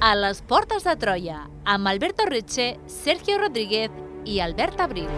a les Portes de Troia, amb Alberto Reche, Sergio Rodríguez i Albert Abril.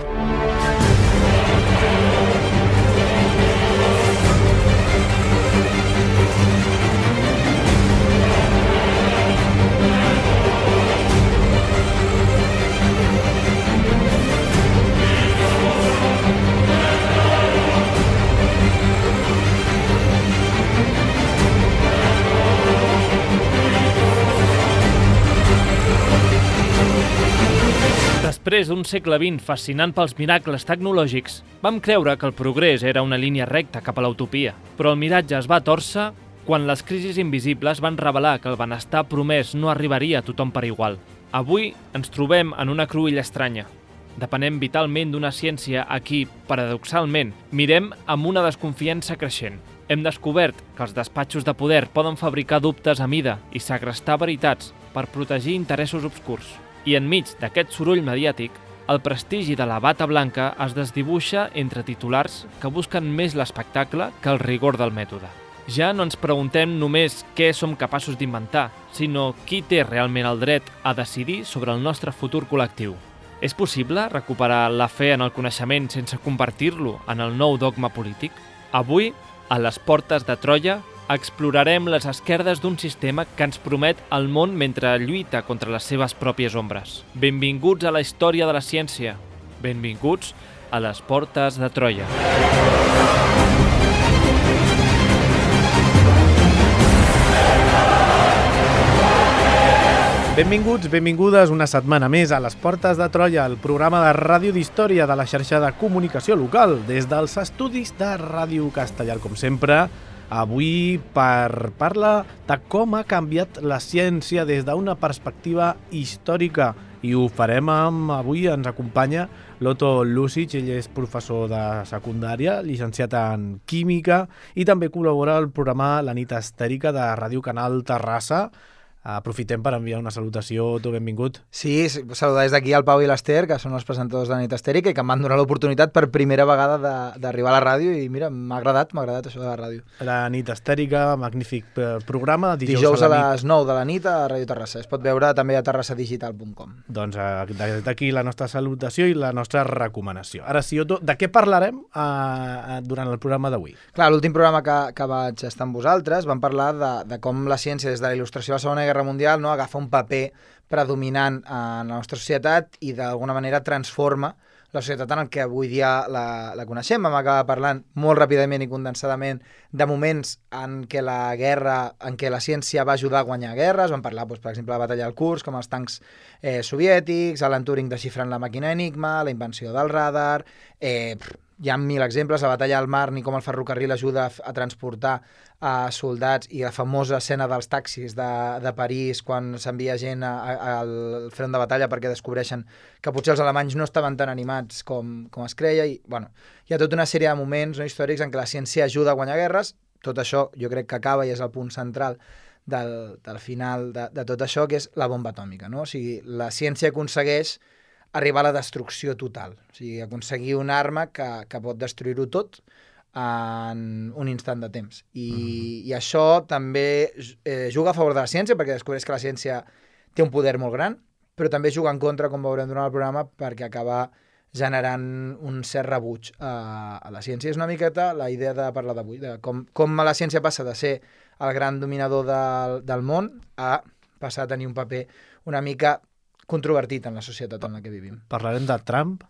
Després d'un segle XX fascinant pels miracles tecnològics, vam creure que el progrés era una línia recta cap a l'utopia. Però el miratge es va tòrcer quan les crisis invisibles van revelar que el benestar promès no arribaria a tothom per igual. Avui ens trobem en una cruïlla estranya. Depenem vitalment d'una ciència a qui, paradoxalment, mirem amb una desconfiança creixent. Hem descobert que els despatxos de poder poden fabricar dubtes a mida i segrestar veritats per protegir interessos obscurs. I enmig d'aquest soroll mediàtic, el prestigi de la bata blanca es desdibuixa entre titulars que busquen més l'espectacle que el rigor del mètode. Ja no ens preguntem només què som capaços d'inventar, sinó qui té realment el dret a decidir sobre el nostre futur col·lectiu. És possible recuperar la fe en el coneixement sense convertir-lo en el nou dogma polític? Avui, a les Portes de Troia, explorarem les esquerdes d'un sistema que ens promet el món mentre lluita contra les seves pròpies ombres. Benvinguts a la història de la ciència. Benvinguts a les Portes de Troia. Benvinguts, benvingudes una setmana més a les Portes de Troia, el programa de ràdio d'història de la xarxa de comunicació local, des dels estudis de Ràdio Castellar, com sempre. Avui per parlar de com ha canviat la ciència des d'una perspectiva històrica i ho farem amb... Avui ens acompanya l'Otto Lucic, ell és professor de secundària, llicenciat en química i també col·labora al programa La nit estèrica de Ràdio Canal Terrassa. Aprofitem per enviar una salutació, Otto, benvingut. Sí, saludar des d'aquí al Pau i l'Ester, que són els presentadors de la nit estèrica i que em van donar l'oportunitat per primera vegada d'arribar a la ràdio i mira, m'ha agradat això de la ràdio. La nit estèrica, magnífic programa. Dijous a les 9 de la nit a Ràdio Terrassa. Es pot veure també a terrassadigital.com. Doncs des d'aquí la nostra salutació i la nostra recomanació. Ara sí, Otto, de què parlarem durant el programa d'avui? Clar, l'últim programa que vaig estar amb vosaltres vam parlar de com la ciència des de la il·lustració de la Segona Guerra Mundial agafa un paper predominant en la nostra societat i d'alguna manera transforma la societat en el que avui dia la coneixem. Vam acabar parlant molt ràpidament i condensadament de moments en què la guerra, en què la ciència va ajudar a guanyar guerres. Vam parlar, per exemple, de la batalla del Kursk, com els tancs soviètics, Alan Turing desxifrant la màquina Enigma, la invenció del radar... Hi ha 1000 exemples, la batalla del Marne i com el ferrocarril ajuda a transportar soldats i la famosa escena dels taxis de París quan s'envia gent al front de batalla perquè descobreixen que potser els alemanys no estaven tan animats com es creia i bueno, hi ha tota una sèrie de moments històrics en què la ciència ajuda a guanyar guerres. Tot això jo crec que acaba i és el punt central del final de tot això, que és la bomba atòmica, no? O sigui, la ciència aconsegueix arribar a la destrucció total, o sigui, aconseguir una arma que pot destruir-ho tot en un instant de temps. I això també juga a favor de la ciència, perquè descobreix que la ciència té un poder molt gran, però també juga en contra, com veurem durant el programa, perquè acaba generant un cert rebuig a la ciència. És una miqueta la idea de parlar d'avui, de com la ciència passa de ser el gran dominador del món a passar a tenir un paper una mica controvertit en la societat en la que vivim. Parlarem de Trump?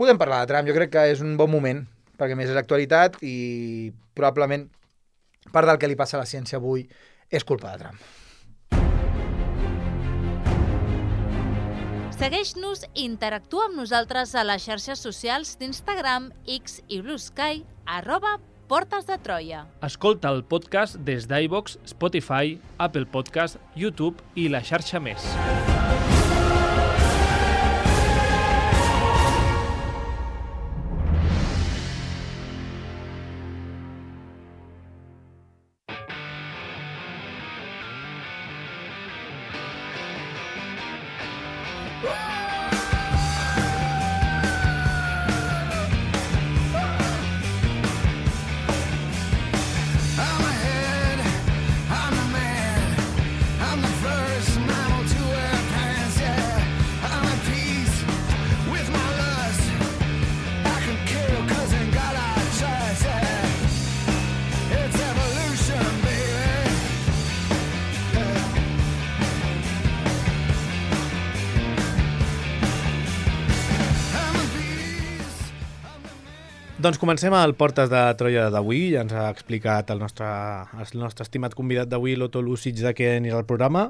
Podem parlar de Trump, jo crec que és un bon moment, perquè més és actualitat i probablement part del que li passa a la ciència avui és culpa de Trump. Segueix-nos i interactua amb nosaltres a les xarxes socials d'Instagram, X i Blue Sky, @Portes de Troia. Escolta el podcast des d'iVoox, Spotify, Apple Podcast, YouTube i la xarxa més. I'm the man, I'm the first, and I'm Doncs comencem el Portes de Troia d'avui. Ja ens ha explicat el nostre estimat convidat d'avui, l'Otto Lucic, de què anirà el programa.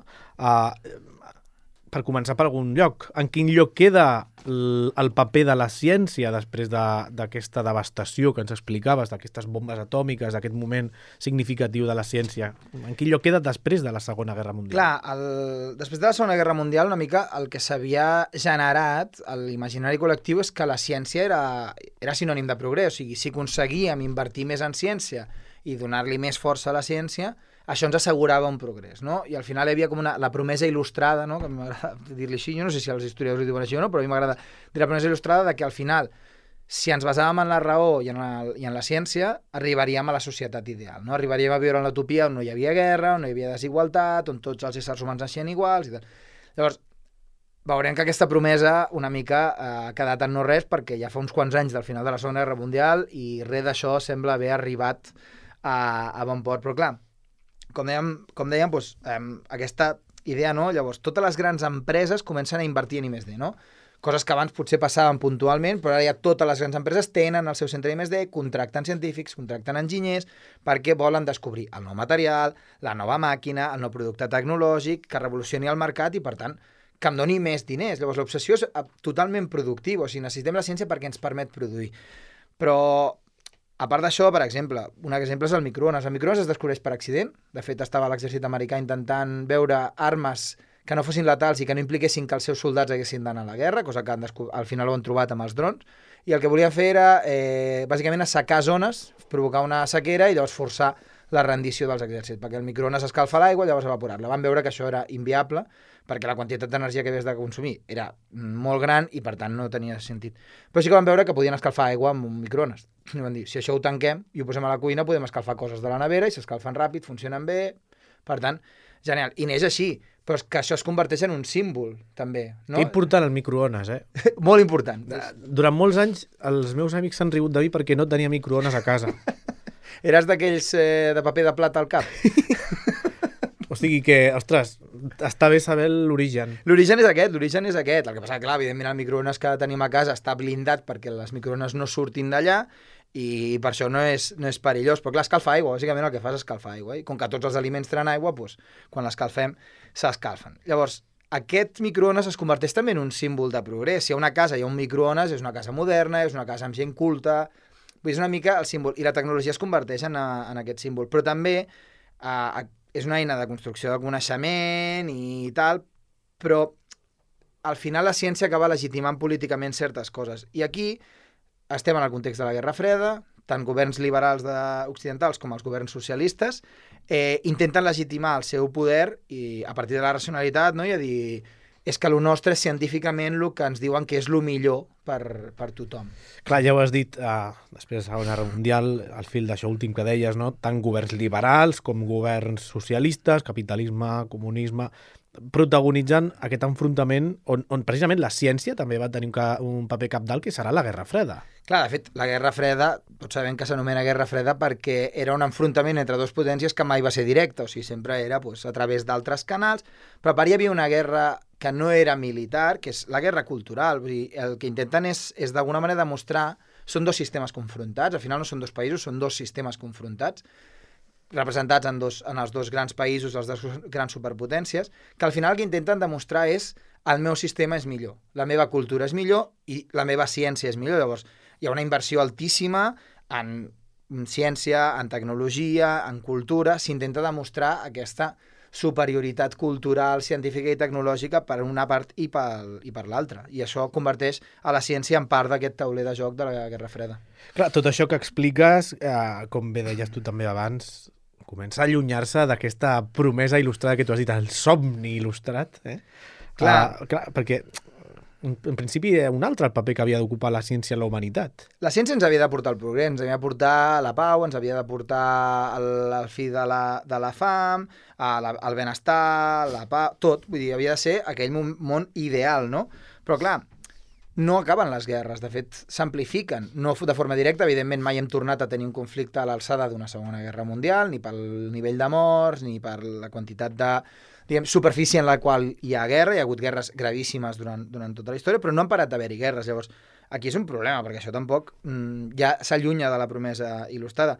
Per començar per algun lloc, en quin lloc queda el paper de la ciència després d'aquesta devastació que ens explicaves, d'aquestes bombes atòmiques, d'aquest moment significatiu de la ciència? En quin lloc queda després de la Segona Guerra Mundial? Clar, després de la Segona Guerra Mundial, una mica el que s'havia generat a l'imaginari col·lectiu és que la ciència era sinònim de progrés. O sigui, si aconseguíem invertir més en ciència i donar-li més força a la ciència, això ens assegurava un progrés, no? I al final hi havia com la promesa il·lustrada, no? Que m'agrada dir-li així, jo no sé si els historiadors ho diuen així o no, però a mi m'agrada dir la promesa il·lustrada de que al final, si ens basàvem en la raó i en la ciència, arribaríem a la societat ideal, no? Arribaríem a viure en l'utopia on no hi havia guerra, on no hi havia desigualtat, on tots els éssers humans naixien iguals i tal. Llavors, veurem que aquesta promesa una mica ha quedat en no res perquè ja fa uns quants anys del final de la Segona Guerra Mundial i res d'això sembla haver arribat a bon port, però clar, com dèiem, doncs, aquesta idea, no? Llavors, totes les grans empreses comencen a invertir en I+D, no? Coses que abans potser passaven puntualment, però ara ja totes les grans empreses tenen el seu centre d'I+D, contracten científics, contracten enginyers, perquè volen descobrir el nou material, la nova màquina, el nou producte tecnològic, que revolucioni el mercat i, per tant, que em doni més diners. Llavors, l'obsessió és totalment productiva, o sigui, necessitem la ciència perquè ens permet produir. Però a part d'això, per exemple, un exemple és el microones. El microones es descobreix per accident. De fet, estava l'exèrcit americà intentant veure armes que no fossin letals i que no impliquessin que els seus soldats haguessin d'anar a la guerra, cosa que al final ho han trobat amb els drons. I el que volien fer era, bàsicament, assecar zones, provocar una sequera i llavors forçar la rendició dels exèrcits, perquè el microones escalfa l'aigua i llavors evaporar-la. Van veure que això era inviable, perquè la quantitat d'energia que havies de consumir era molt gran i, per tant, no tenia sentit. Però sí que van veure que podien escalfar aigua amb un microones. I van dir, si això ho tanquem i ho posem a la cuina, podem escalfar coses de la nevera i s'escalfen ràpid, funcionen bé. Per tant, genial. I neix així, però és que això es converteix en un símbol, també. No? Que important el microones, Molt important. Durant molts anys, els meus amics s'han rigut de mi perquè no tenia microones a casa. Eres d'aquells de paper de plata al cap? O sigui que, ostres, està bé saber l'origen. L'origen és aquest. El que passa, clar, evidentment el microones que tenim a casa està blindat perquè les microones no surtin d'allà i per això no és perillós. Però clar, escalfa aigua, bàsicament el que fas és escalfar aigua. I com que tots els aliments tenen aigua, doncs, quan l'escalfem, s'escalfen. Llavors, aquest microones es converteix també en un símbol de progrés. Si a una casa hi ha un microones, és una casa moderna, és una casa amb gent culta. Vull dir, és una mica el símbol. I la tecnologia es converteix en aquest símbol. Però també és una eina de construcció de coneixement i tal, però al final la ciència acaba legitimant políticament certes coses. I aquí estem en el context de la Guerra Freda, tant governs liberals occidentals com els governs socialistes intenten legitimar el seu poder i a partir de la racionalitat, no? I a dir, és que el nostre és científicament el que ens diuen que és el millor per tothom. Clar, ja ho has dit, després de la Segona Guerra Mundial, al fil d'això últim que deies, no? Tant governs liberals com governs socialistes, capitalisme, comunisme, protagonitzant aquest enfrontament on precisament la ciència també va tenir un paper cabdal, que serà la Guerra Freda. Clar, de fet, la Guerra Freda, tots sabem que s'anomena Guerra Freda perquè era un enfrontament entre dues potències que mai va ser directe, o sigui, sempre era a través d'altres canals, però a part hi havia una guerra que no era militar, que és la guerra cultural. Vull dir, el que intenten és d'alguna manera demostrar, són dos sistemes confrontats, al final no són dos països, són dos sistemes confrontats, representats en els dos grans països, les dues grans superpotències, que al final el que intenten demostrar és el meu sistema és millor, la meva cultura és millor i la meva ciència és millor. Llavors, hi ha una inversió altíssima en ciència, en tecnologia, en cultura, s'intenta demostrar aquesta superioritat cultural, científica i tecnològica per una part i per l'altra. I això converteix a la ciència en part d'aquest tauler de joc de la Guerra Freda. Clar, tot això que expliques, com bé deies tu també abans, comença a allunyar-se d'aquesta promesa il·lustrada que tu has dit, el somni il·lustrat. Clar, perquè en principi era un altre el paper que havia d'ocupar la ciència en la humanitat. La ciència ens havia de portar el progrés, ens havia de portar la pau, ens havia de portar el fi de la fam, el benestar, la pau, tot. Vull dir, havia de ser aquell món ideal, no? Però clar, no acaben les guerres, de fet s'amplifiquen, no de forma directa, evidentment mai hem tornat a tenir un conflicte a l'alçada d'una Segona Guerra Mundial, ni pel nivell de morts, ni per la quantitat de superfície en la qual hi ha guerra, hi ha hagut guerres gravíssimes durant tota la història, però no han parat d'haver-hi guerres. Llavors, Aquí és un problema, perquè això tampoc ja s'allunya de la promesa il·lustrada.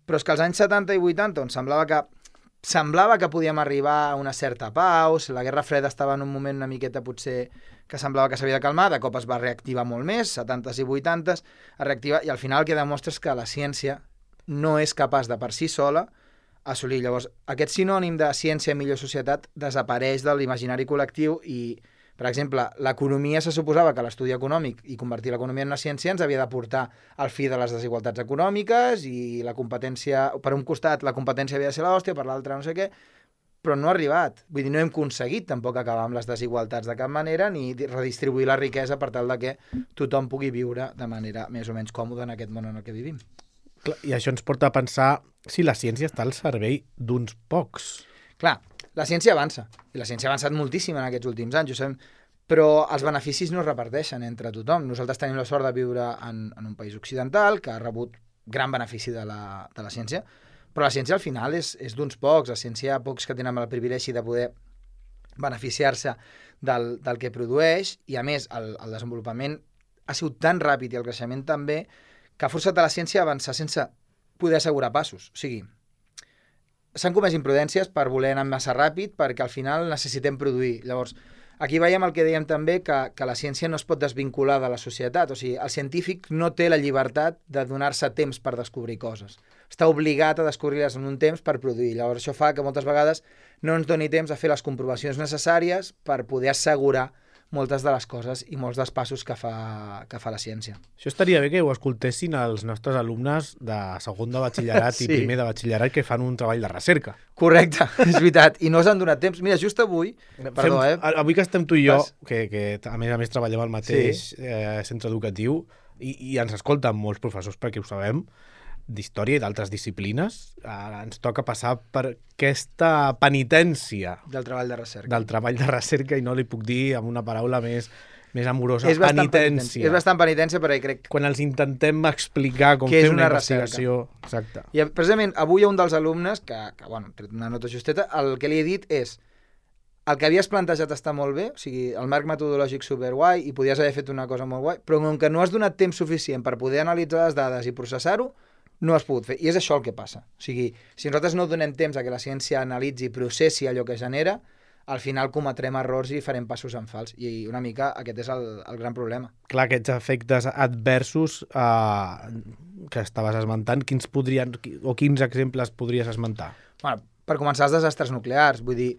Però és que als anys 70 i 80, on semblava que podíem arribar a una certa pau, la Guerra Freda estava en un moment una miqueta potser que semblava que s'havia de calmar, de cop es va reactivar molt més, 70s i 80s, es reactiva, i al final el que demostra és que la ciència no és capaç de per si sola assolir. Llavors, aquest sinònim de ciència i millor societat desapareix de l'imaginari col·lectiu i, per exemple, l'economia se suposava que l'estudi econòmic i convertir l'economia en una ciència ens havia de portar al fi de les desigualtats econòmiques i la competència, per un costat la competència havia de ser l'hòstia, per l'altre no sé què, però no ha arribat. Vull dir, no hem aconseguit tampoc acabar amb les desigualtats de cap manera ni redistribuir la riquesa per tal de que tothom pugui viure de manera més o menys còmoda en aquest món en el que vivim. I això ens porta a pensar si la ciència està al servei d'uns pocs. Clar, la ciència avança, i la ciència ha avançat moltíssim en aquests últims anys, ho sabem, però els beneficis no es reparteixen entre tothom. Nosaltres tenim la sort de viure en un país occidental que ha rebut gran benefici de la ciència, però la ciència al final és d'uns pocs. La ciència hi ha pocs que tenen el privilegi de poder beneficiar-se del que produeix, i a més el desenvolupament ha sigut tan ràpid i el creixement també que ha forçat a la ciència a avançar sense poder assegurar passos. O sigui, s'han comès imprudències per voler anar massa ràpid perquè al final necessitem produir. Llavors, aquí veiem el que dèiem també, que la ciència no es pot desvincular de la societat. O sigui, el científic no té la llibertat de donar-se temps per descobrir coses. Està obligat a descobrir-les en un temps per produir. Llavors, això fa que moltes vegades no ens doni temps a fer les comprovacions necessàries per poder assegurar moltes de les coses i molts dels passos que fa la ciència. Això estaria bé que ho escoltessin els nostres alumnes de segon de batxillerat i primer de batxillerat que fan un treball de recerca. Correcte, és veritat. I no s'han donat temps. Mira, just avui... Perdó, avui que estem tu i jo, que a més treballem al mateix centre educatiu, i ens escolten molts professors perquè ho sabem, d'història i d'altres disciplines, ens toca passar per aquesta penitència del treball de recerca. I no li puc dir amb una paraula més amorosa, penitència. És bastant penitència, però crec... Quan els intentem explicar com fer una investigació... Exacte. I precisament avui un dels alumnes, que bueno, tret una nota justeta, el que li he dit és el que havies plantejat està molt bé, o sigui, el marc metodològic superguai i podies haver fet una cosa molt guai, però com que no has donat temps suficient per poder analitzar les dades i processar-ho, no has pogut fer. I és això el que passa. O sigui, si nosaltres no donem temps a que la ciència analitzi i processi allò que genera, al final cometrem errors i farem passos en fals. I una mica aquest és el gran problema. Clar, aquests efectes adversos que estaves esmentant, quins exemples podries esmentar? Bueno, per començar, els desastres nuclears. Vull dir,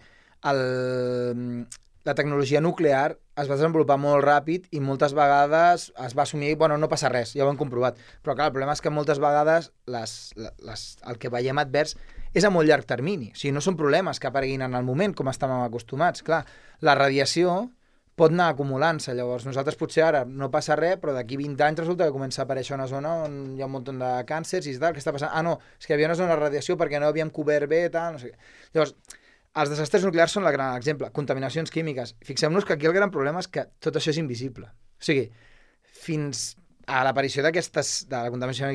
la tecnologia nuclear es va desenvolupar molt ràpid i moltes vegades es va assumir, bueno, no passa res, ja ho hem comprovat. Però clar, el problema és que moltes vegades el que veiem advers és a molt llarg termini. O sigui, no són problemes que apareguin en el moment, com estàvem acostumats. Clar, la radiació pot anar acumulant-se. Llavors, nosaltres potser ara no passa res, però d'aquí 20 anys resulta que comença a aparèixer una zona on hi ha un munt de càncers i tal. Què està passant? Ah, no, és que hi havia una zona de radiació perquè no havíem cobert bé, tal, no sé què. Llavors, els desastres nuclears són el gran exemple. Contaminacions químiques. Fixem-nos que aquí el gran problema és que tot això és invisible. O sigui, fins a l'aparició de la contaminació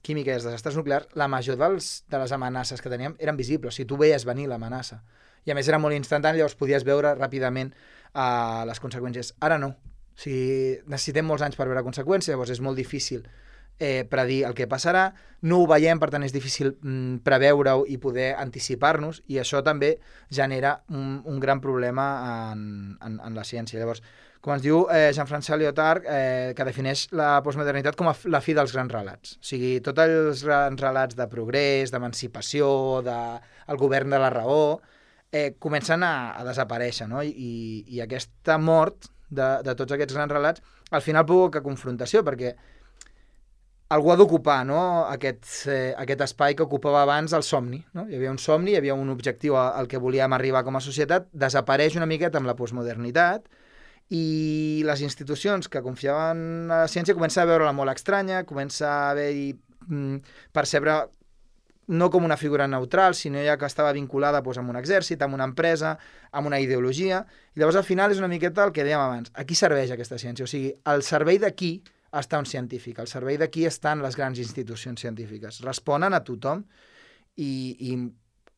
química i els desastres nuclears, la major de les amenaces que teníem eren visibles. O sigui, tu veies venir l'amenaça. I a més era molt instantani, llavors podies veure ràpidament les conseqüències. Ara no. O sigui, necessitem molts anys per veure conseqüències, llavors és molt difícil predir el que passarà, no ho veiem, per tant és difícil preveure-ho i poder anticipar-nos, i això també genera un gran problema en la ciència. Llavors, com ens diu Jean-François Lyotard, que defineix la postmodernitat com la fi dels grans relats. O sigui, tots els grans relats de progrés, d'emancipació, del govern de la raó, comencen a desaparèixer, no? I aquesta mort de tots aquests grans relats al final provoca confrontació, perquè algú ha d'ocupar, no? aquest espai que ocupava abans el somni. No? Hi havia un somni, hi havia un objectiu al que volíem arribar com a societat, desapareix una miqueta amb la postmodernitat i les institucions que confiaven en la ciència comencen a veure-la molt estranya, comença a haver-hi percebre no com una figura neutral, sinó ja que estava vinculada amb un exèrcit, amb una empresa, amb una ideologia, i llavors al final és una miqueta el que dèiem abans. A qui serveix aquesta ciència? O sigui, al servei de qui està un científic, al servei de qui estan les grans institucions científiques. Responen a tothom i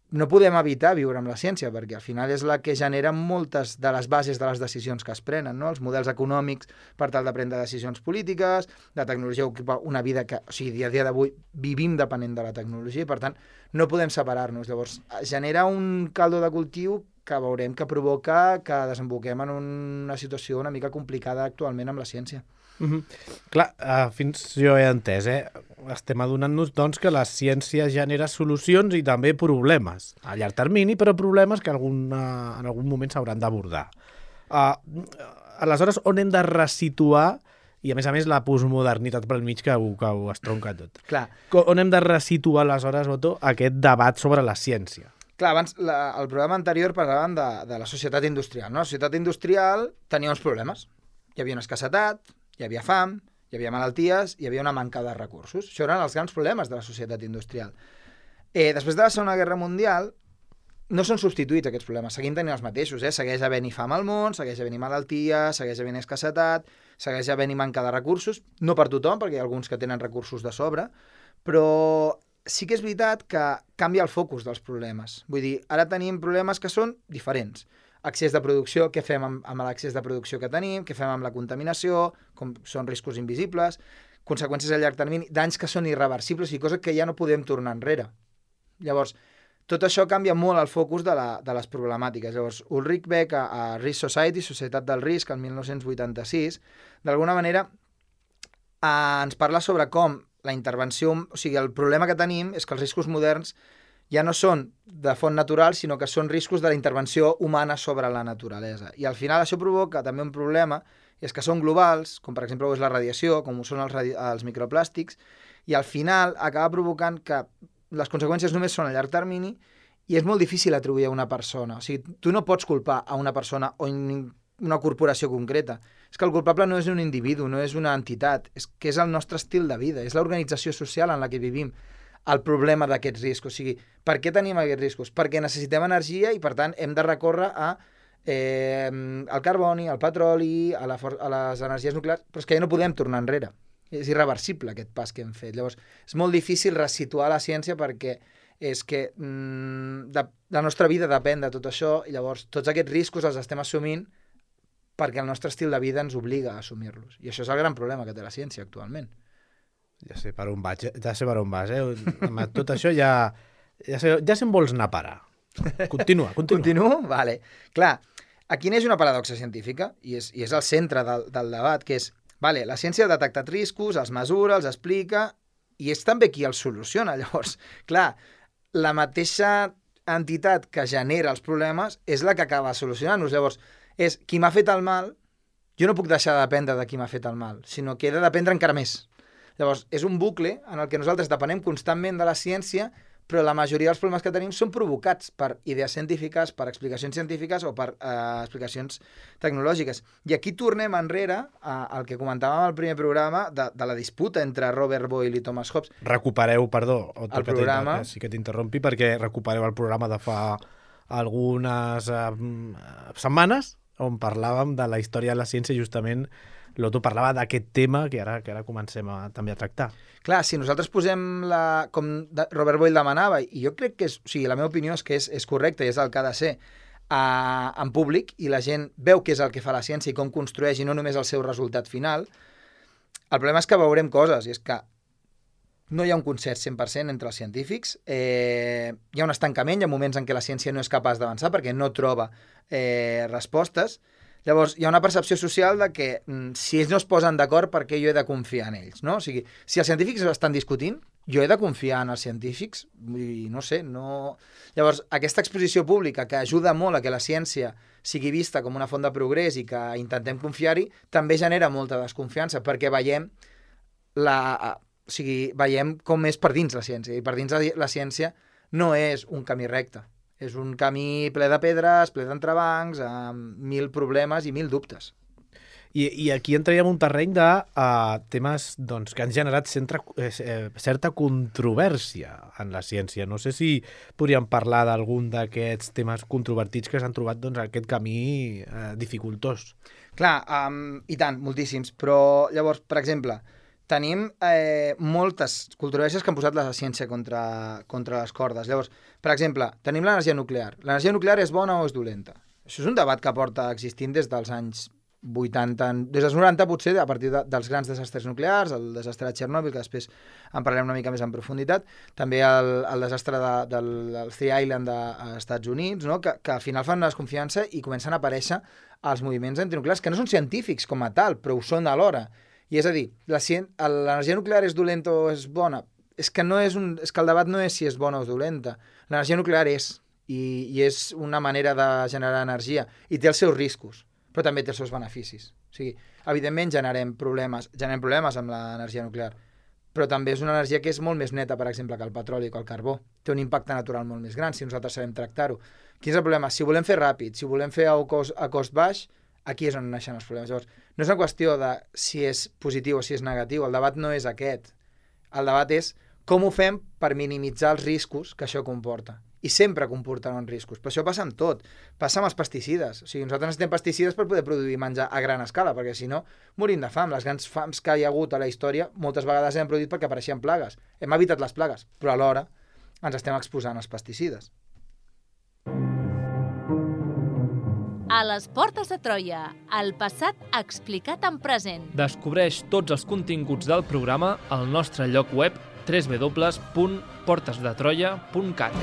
no podem evitar viure amb la ciència, perquè al final és la que genera moltes de les bases de les decisions que es prenen, no? Els models econòmics per tal de prendre decisions polítiques, la tecnologia ocupa una vida que, o sigui, a dia d'avui vivim depenent de la tecnologia i, per tant, no podem separar-nos. Llavors, genera un caldo de cultiu que veurem que provoca que desemboquem en una situació una mica complicada actualment amb la ciència. Clar, fins jo he entès, estem adonant-nos doncs, que la ciència genera solucions i també problemes a llarg termini, però problemes que en algun moment s'hauran d'abordar. Aleshores, on hem de resituar, i a més la postmodernitat pel mig que ho estronca tot? Clar. On hem de resituar aleshores, Otto, aquest debat sobre la ciència? Clar, abans, al programa anterior parlàvem de la societat industrial, no? La societat industrial tenia uns problemes. Hi havia una escassetat, hi havia fam, hi havia malalties, hi havia una manca de recursos. Això eren els grans problemes de la societat industrial. Després de la Segona Guerra Mundial, no són substituïts aquests problemes, seguim tenint els mateixos. Segueix havent-hi fam al món, segueix havent-hi malalties, segueix havent-hi escassetat, segueix havent-hi manca de recursos, no per tothom, perquè hi ha alguns que tenen recursos de sobre, però sí que és veritat que canvia el focus dels problemes. Vull dir, ara tenim problemes que són diferents. Accés de producció, què fem amb l'accés de producció que tenim, què fem amb la contaminació, com són riscos invisibles, conseqüències a llarg termini, danys que són irreversibles i coses que ja no podem tornar enrere. Llavors, tot això canvia molt el focus de les problemàtiques. Llavors, Ulrich Beck, a Risk Society, Societat del Risc, el 1986, d'alguna manera ens parla sobre com la intervenció, o sigui, el problema que tenim és que els riscos moderns ja no són de font natural, sinó que són riscos de la intervenció humana sobre la naturalesa. I al final això provoca també un problema, és que són globals, com per exemple és la radiació, com ho són els microplàstics, i al final acaba provocant que les conseqüències només són a llarg termini i és molt difícil atribuir a una persona. O sigui, tu no pots culpar a una persona o una corporació concreta. És que el culpable no és un individu, no és una entitat, és que és el nostre estil de vida, és l'organització social en la que vivim el problema d'aquests riscos. O sigui, per què tenim aquests riscos? Perquè necessitem energia i, per tant, hem de recórrer al carboni, al petroli, a les energies nuclears, però és que ja no podem tornar enrere. És irreversible aquest pas que hem fet. Llavors, és molt difícil resituar la ciència perquè és que la nostra vida depèn de tot això i llavors tots aquests riscos els estem assumint perquè el nostre estil de vida ens obliga a assumir-los. I això és el gran problema que té la ciència actualment. Ja sé per on vas, Amb tot això ja sé on vols anar a parar. Continua. Continuo? Vale. Clar, aquí neix una paradoxa científica i és el centre del debat, que és, vale, la ciència ha detectat riscos, els mesura, els explica, i és també qui els soluciona. Llavors, clar, la mateixa entitat que genera els problemes és la que acaba solucionant-los. Llavors, és qui m'ha fet el mal, jo no puc deixar de dependre de qui m'ha fet el mal, sinó que he de dependre encara més. Llavors, és un bucle en el que nosaltres depenem constantment de la ciència, però la majoria dels problemes que tenim són provocats per idees científiques, per explicacions científiques o per explicacions tecnològiques. I aquí tornem enrere al que comentàvem al primer programa de la disputa entre Robert Boyle i Thomas Hobbes. Recupereu, perdó, el programa. Sí que t'interrompi, perquè recupereu el programa de fa algunes setmanes on parlàvem de la història de la ciència i justament l'Otto parlava d'aquest tema que ara comencem també a tractar. Clar, si nosaltres posem com Robert Boyle demanava, i jo crec que la meva opinió és que és correcte i és el que ha de ser en públic, i la gent veu què és el que fa la ciència i com construeix i no només el seu resultat final, el problema és que veurem coses, i és que no hi ha un concert 100% entre els científics, hi ha un estancament, hi ha moments en què la ciència no és capaç d'avançar perquè no troba respostes. Llavors, hi ha una percepció social de que si ells no es posen d'acord, per què jo he de confiar en ells, no? O sigui, si els científics estan discutint, jo he de confiar en els científics? I no sé, no... Llavors, aquesta exposició pública que ajuda molt a que la ciència sigui vista com una font de progrés i que intentem confiar-hi, també genera molta desconfiança, perquè veiem com és per dins la ciència, i per dins la ciència no és un camí recte. És un camí ple de pedres, ple d'entrebancs, amb 1000 problemes i 1000 dubtes. I aquí entraríem un terreny de temes que han generat certa controvèrsia en la ciència. No sé si podríem parlar d'algun d'aquests temes controvertits que s'han trobat aquest camí dificultós. Clar, i tant, moltíssims. Però llavors, per exemple, tenim moltes controvèrsies que han posat la ciència contra les cordes. Llavors, per exemple, tenim l'energia nuclear. L'energia nuclear és bona o és dolenta? Això és un debat que porta existint des dels anys 80, des dels 90 potser, a partir dels grans desastres nuclears, el desastre de Chernobyl, que després en parlarem una mica més en profunditat, també el desastre del Three Island dels Estats Units, no? que al final fan una desconfiança i comencen a aparèixer els moviments antinuclears, que no són científics com a tal, però ho són alhora. I és a dir, l'energia nuclear és dolenta o és bona? És que el debat no és si és bona o és dolenta. L'energia nuclear és, i és una manera de generar energia, i té els seus riscos, però també té els seus beneficis. O sigui, evidentment generem problemes amb l'energia nuclear, però també és una energia que és molt més neta, per exemple, que el petroli o que el carbó. Té un impacte natural molt més gran si nosaltres sabem tractar-ho. Quin és el problema? Si volem fer ràpid, si volem fer a cost baix, aquí és on naixen els problemes. Llavors, no és una qüestió de si és positiu o si és negatiu, el debat no és aquest. El debat és com ho fem per minimitzar els riscos que això comporta. I sempre comportaran riscos. Però això passa amb tot. Passa amb els pesticides. O sigui, nosaltres necessitem pesticides per poder produir menjar a gran escala, perquè si no, morim de fam. Les grans fams que hi ha hagut a la història moltes vegades s'han produït perquè apareixien plagues. Hem evitat les plagues, però alhora ens estem exposant als pesticides. A les portes de Troia, el passat explicat en present. Descobreix tots els continguts del programa al nostre lloc web www.portesdetroia.cat.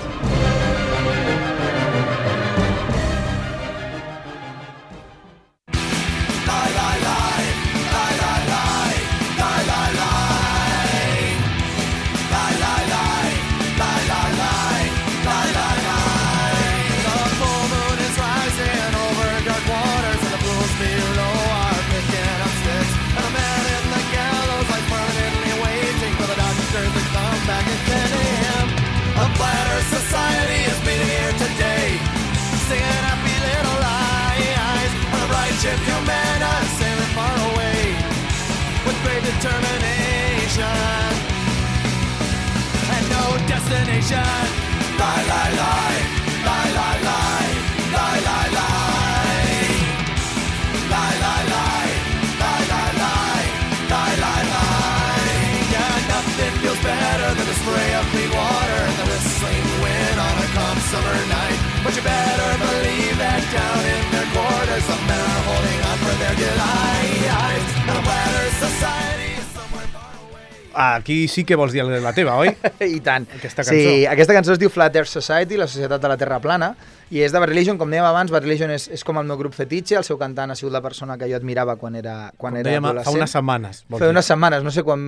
Destination. Lie, lie, lie. Lie, lie, lie. Lie, lie, lie. Lie, lie, lie. Lie, lie, lie. Lie, lie, lie. Yeah, nothing feels better than the spray of clean water and the whistling wind on a calm summer night. But you better believe that down in their quarters some men are holding on for their delight. And a flatter society. Aquí sí que vols dir la teva, oi? I tant. Aquesta cançó. Sí, aquesta cançó es diu Flat Earth Society, la Societat de la Terra Plana, i és de Bad Religion, com dèiem abans. Bad Religion és com el meu grup fetitxe, el seu cantant ha sigut la persona que jo admirava quan era adolescent. Fa unes setmanes. Fa unes setmanes, no sé quan...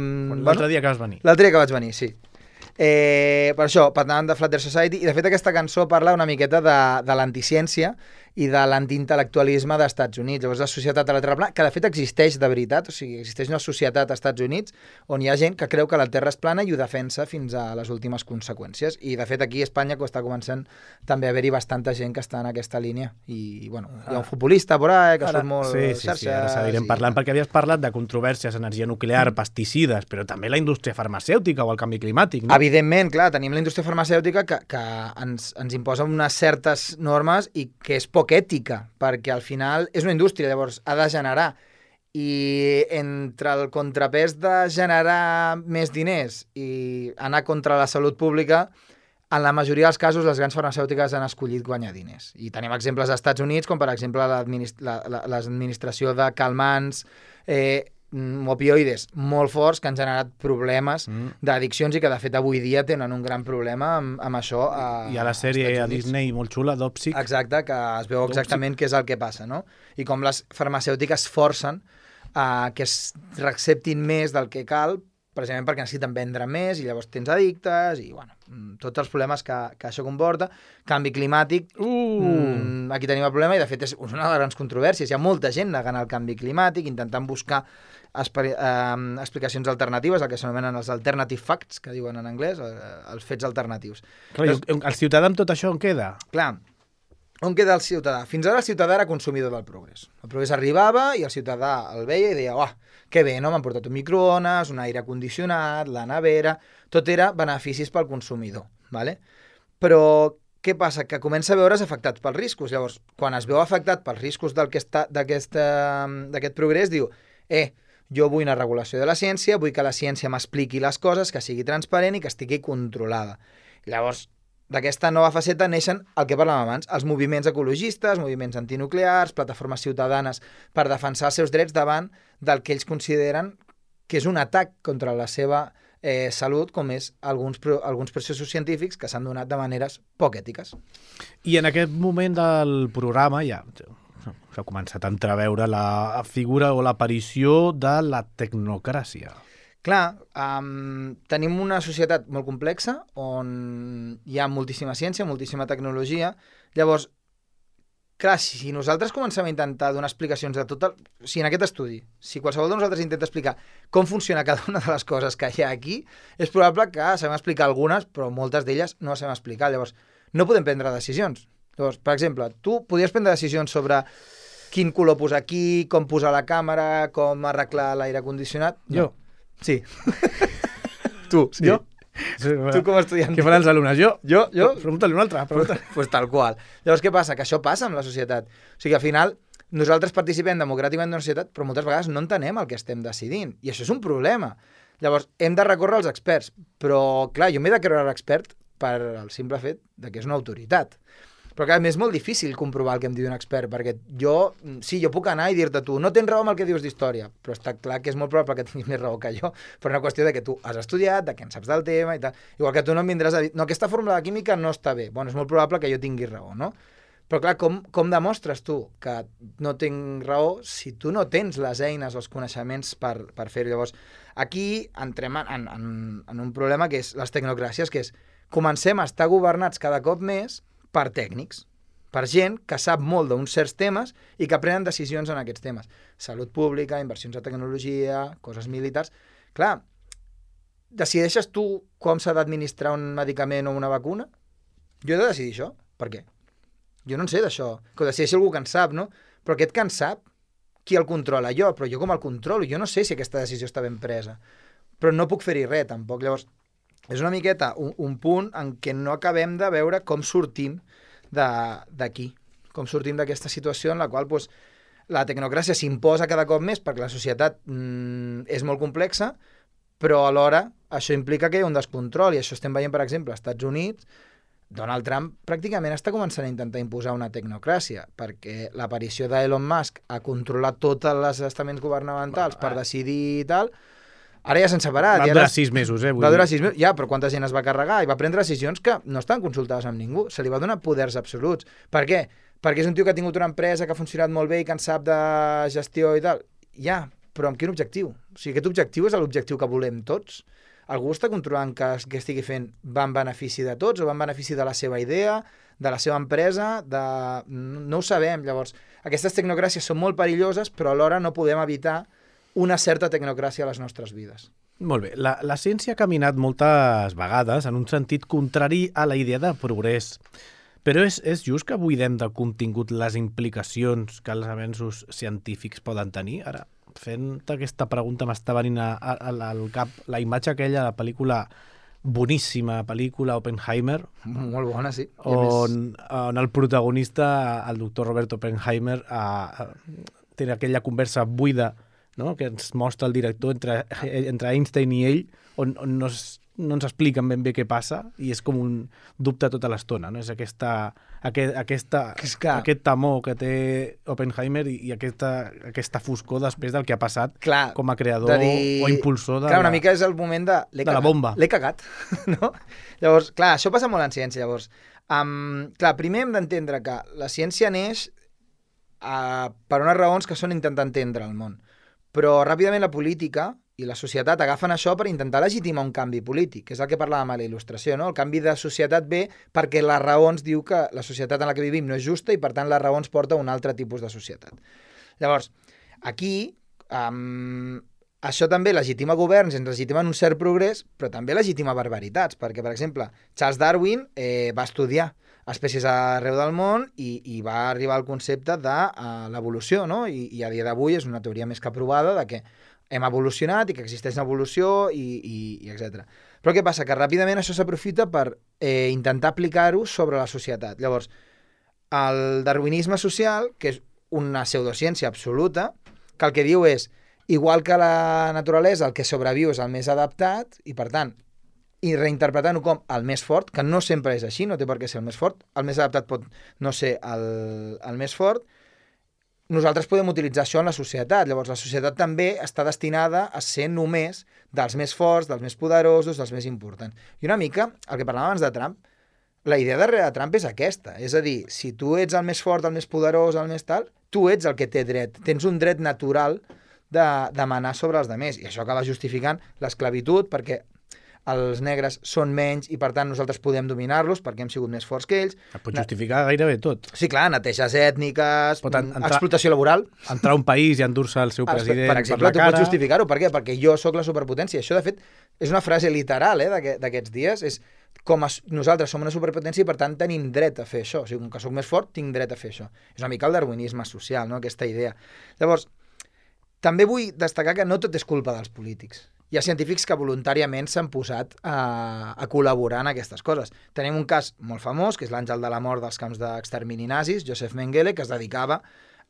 L'altre dia que vas venir. L'altre dia que vaig venir, sí. Per això, parlant de Flat Earth Society, i de fet aquesta cançó parla una miqueta de l'anticiència i de l'antiintel·lectualisme dels Estats Units. Llavors, la Societat de la Terra Plana, que de fet existeix de veritat, o sigui, existeix una societat als Estats Units on hi ha gent que creu que la Terra és plana i ho defensa fins a les últimes conseqüències. I, de fet, aquí a Espanya està començant també a haver-hi bastanta gent que està en aquesta línia. I, bueno, hi ha un futbolista por ahí que surt molt xarxes. Sí, ara seguirem parlant, perquè havies parlat de controvèrsies, energia nuclear, pesticides, però també la indústria farmacèutica o el canvi climàtic, no? Evidentment, clar, tenim la indústria farmacèutica que ens imposa unes certes normes i que és poc ètica, perquè al final és una indústria, llavors ha de generar, i entre el contrapès de generar més diners i anar contra la salut pública, en la majoria dels casos les grans farmacèutiques han escollit guanyar diners. I tenim exemples als Estats Units, com per exemple l'administració de calmants, opioides molt forts que han generat problemes d'addiccions i que de fet avui dia tenen un gran problema amb això. Hi ha la sèrie a Disney molt xula, Dopsic. Exacte, que es veu exactament què és el que passa, no? I com les farmacèutiques forcen que es reacceptin més del que cal, precisament perquè necessiten vendre més i llavors tens addictes i, bueno, tots els problemes que això comporta. Canvi climàtic, aquí tenim el problema i, de fet, és una de les grans controvèrsies. Hi ha molta gent negant el canvi climàtic, intentant buscar explicacions alternatives, el que s'anomenen els alternative facts, que diuen en anglès, els fets alternatius. Clar, el ciutadà amb tot això on queda? Clar, on queda el ciutadà? Fins ara el ciutadà era consumidor del progrés. El progrés arribava i el ciutadà el veia i deia, que bé, no? M'han portat un microones, un aire condicionat, la nevera... Tot era beneficis pel consumidor, ¿vale? Però què passa? Que comença a veure's afectat pels riscos. Llavors, quan es veu afectat pels riscos d'aquest progrés, diu, Jo vull una regulació de la ciència, vull que la ciència m'expliqui les coses, que sigui transparent i que estigui controlada. Llavors, d'aquesta nova faceta neixen el que parlàvem abans, els moviments ecologistes, moviments antinuclears, plataformes ciutadanes per defensar els seus drets davant del que ells consideren que és un atac contra la seva salut, com és alguns processos científics que s'han donat de maneres poc ètiques. I en aquest moment del programa ja s'ha començat a entreveure la figura o l'aparició de la tecnocràcia. Clar, tenim una societat molt complexa on hi ha moltíssima ciència, moltíssima tecnologia. Llavors, clar, si nosaltres comencem a intentar donar explicacions de tot si en aquest estudi, si qualsevol de nosaltres intenta explicar com funciona cada una de les coses que hi ha aquí, és probable que sabem explicar algunes, però moltes d'elles no les sabem explicar. Llavors, no podem prendre decisions. Llavors, per exemple, tu podries prendre decisions sobre quin color posar aquí, com posar la càmera, com arreglar l'aire condicionat? No. Jo. Sí. Tu, sí. Jo? Tu com a estudiant. Què faran els alumnes? Jo? Pregunta-li un altre. Pues tal qual. Llavors, què passa? Que això passa amb la societat. O sigui, al final, nosaltres participem democràticament d'una societat, però moltes vegades no entenem el que estem decidint. I això és un problema. Llavors, hem de recórrer als experts. Però, clar, jo m'he de creure l'expert per el simple fet de que és una autoritat. Però, clar, és molt difícil comprovar el que em diu un expert, perquè jo puc anar i dir-te tu, no tens raó amb el que dius d'història, però està clar que és molt probable que tinguis més raó que jo, per una qüestió de que tu has estudiat, de que en saps del tema i tal. Igual que tu no em vindràs a dir, no, aquesta fórmula de química no està bé. Bueno, és molt probable que jo tingui raó, no? Però, clar, com demostres tu que no tinc raó si tu no tens les eines o els coneixements per fer-ho? Llavors, aquí entrem en un problema que és les tecnocràcies, que és comencem a estar governats cada cop més per tècnics, per gent que sap molt d'uns certs temes i que prenen decisions en aquests temes. Salut pública, inversions en tecnologia, coses militars. Clar, decideixes tu com s'ha d'administrar un medicament o una vacuna? Jo he de decidir això. Per què? Jo no en sé d'això. Que ho decideixi algú que en sap, no? Però aquest que en sap, qui el controla? Jo, però jo com el controlo? Jo no sé si aquesta decisió està ben presa. Però no puc fer-hi res, tampoc. Llavors, és una miqueta un punt en què no acabem de veure com sortim d'aquí, com sortim d'aquesta situació en la qual doncs, la tecnocràcia s'imposa cada cop més perquè la societat és molt complexa, però alhora això implica que hi ha un descontrol, i això estem veient, per exemple, als Estats Units. Donald Trump pràcticament està començant a intentar imposar una tecnocràcia, perquè l'aparició d'Elon Musk a controlar tots els estaments governamentals per decidir i tal. Ara ja s'han separat. Va durar 6 mesos, Va durar 6 mesos. Ja, però quanta gent es va carregar i va prendre decisions que no estan consultades amb ningú. Se li va donar poders absoluts. Per què? Perquè és un tio que ha tingut una empresa que ha funcionat molt bé i que en sap de gestió i tal. Ja, però amb quin objectiu? O sigui, aquest objectiu és l'objectiu que volem tots? Algú està controlant que estigui fent va en benefici de tots o va en benefici de la seva idea, de la seva empresa? No ho sabem. Llavors, aquestes tecnocràcies són molt perilloses, però alhora no podem evitar una certa tecnocràcia a les nostres vides. Molt bé. La ciència ha caminat moltes vegades en un sentit contrari a la idea de progrés. Però és just que buidem de contingut les implicacions que els avenços científics poden tenir? Ara, fent aquesta pregunta m'està venint al cap la imatge aquella de la pel·lícula, boníssima pel·lícula, Oppenheimer. Molt bona, sí. On el protagonista, el doctor Robert Oppenheimer, té aquella conversa buida, no?, que ens mostra el director entre Einstein i ell, on no ens expliquen ben bé què passa i és com un dubte tota l'estona, no? És aquest temor que té Oppenheimer i aquesta foscor després del que ha passat com a creador o impulsor de una mica és el moment de la bomba. L'he cagat, no? Llavors, clar, això passa molt en ciència, llavors. Primer hem d'entendre que la ciència neix per unes raons que són intentar entendre el món. Però ràpidament la política i la societat agafen això per intentar legitimar un canvi polític, que és el que parlàvem a la il·lustració, no? El canvi de societat ve perquè la raó ens diu que la societat en la que vivim no és justa i, per tant, la raó ens porta a un altre tipus de societat. Llavors, aquí, això també legitima governs, ens legitimen un cert progrés, però també legitima barbaritats, perquè, per exemple, Charles Darwin va estudiar espècies arreu del món i va arribar al concepte de l'evolució, no? I a dia d'avui és una teoria més que provada de que hem evolucionat i que existeix una evolució i etc. Però què passa? Que ràpidament això s'aprofita per intentar aplicar-ho sobre la societat. Llavors, el darwinisme social, que és una pseudociència absoluta, que el que diu és Igual que la naturalesa, el que sobreviu és el més adaptat, i per tant, i reinterpretant-ho com el més fort, que no sempre és així, no té per què ser el més fort, el més adaptat pot no ser el més fort, nosaltres podem utilitzar això en la societat. Llavors, la societat també està destinada a ser només dels més forts, dels més poderosos, dels més importants. I una mica, el que parlàvem abans de Trump, la idea darrere de Trump és aquesta. És a dir, si tu ets el més fort, el més poderós, el més tal, tu ets el que té dret. Tens un dret natural de demanar sobre els altres. I això acaba justificant l'esclavitud, perquè els negres són menys i, per tant, nosaltres podem dominar-los perquè hem sigut més forts que ells. Et pot justificar gairebé tot. Sí, clar, neteges ètniques, entrar, explotació laboral. Entrar a un país i endur-se el seu president per exemple, per la tu cara. pots justificar-ho. Per què? Perquè jo sóc la superpotència. Això, de fet, és una frase literal d'aquests dies. És com nosaltres som una superpotència i, per tant, tenim dret a fer això. O sigui, com que sóc més fort, tinc dret a fer això. És una mica el darwinisme social, no?, aquesta idea. Llavors, també vull destacar que no tot és culpa dels polítics. Hi ha científics que voluntàriament s'han posat a col·laborar en aquestes coses. Tenim un cas molt famós, que és l'àngel de la mort dels camps d'extermini nazis, Josef Mengele, que es dedicava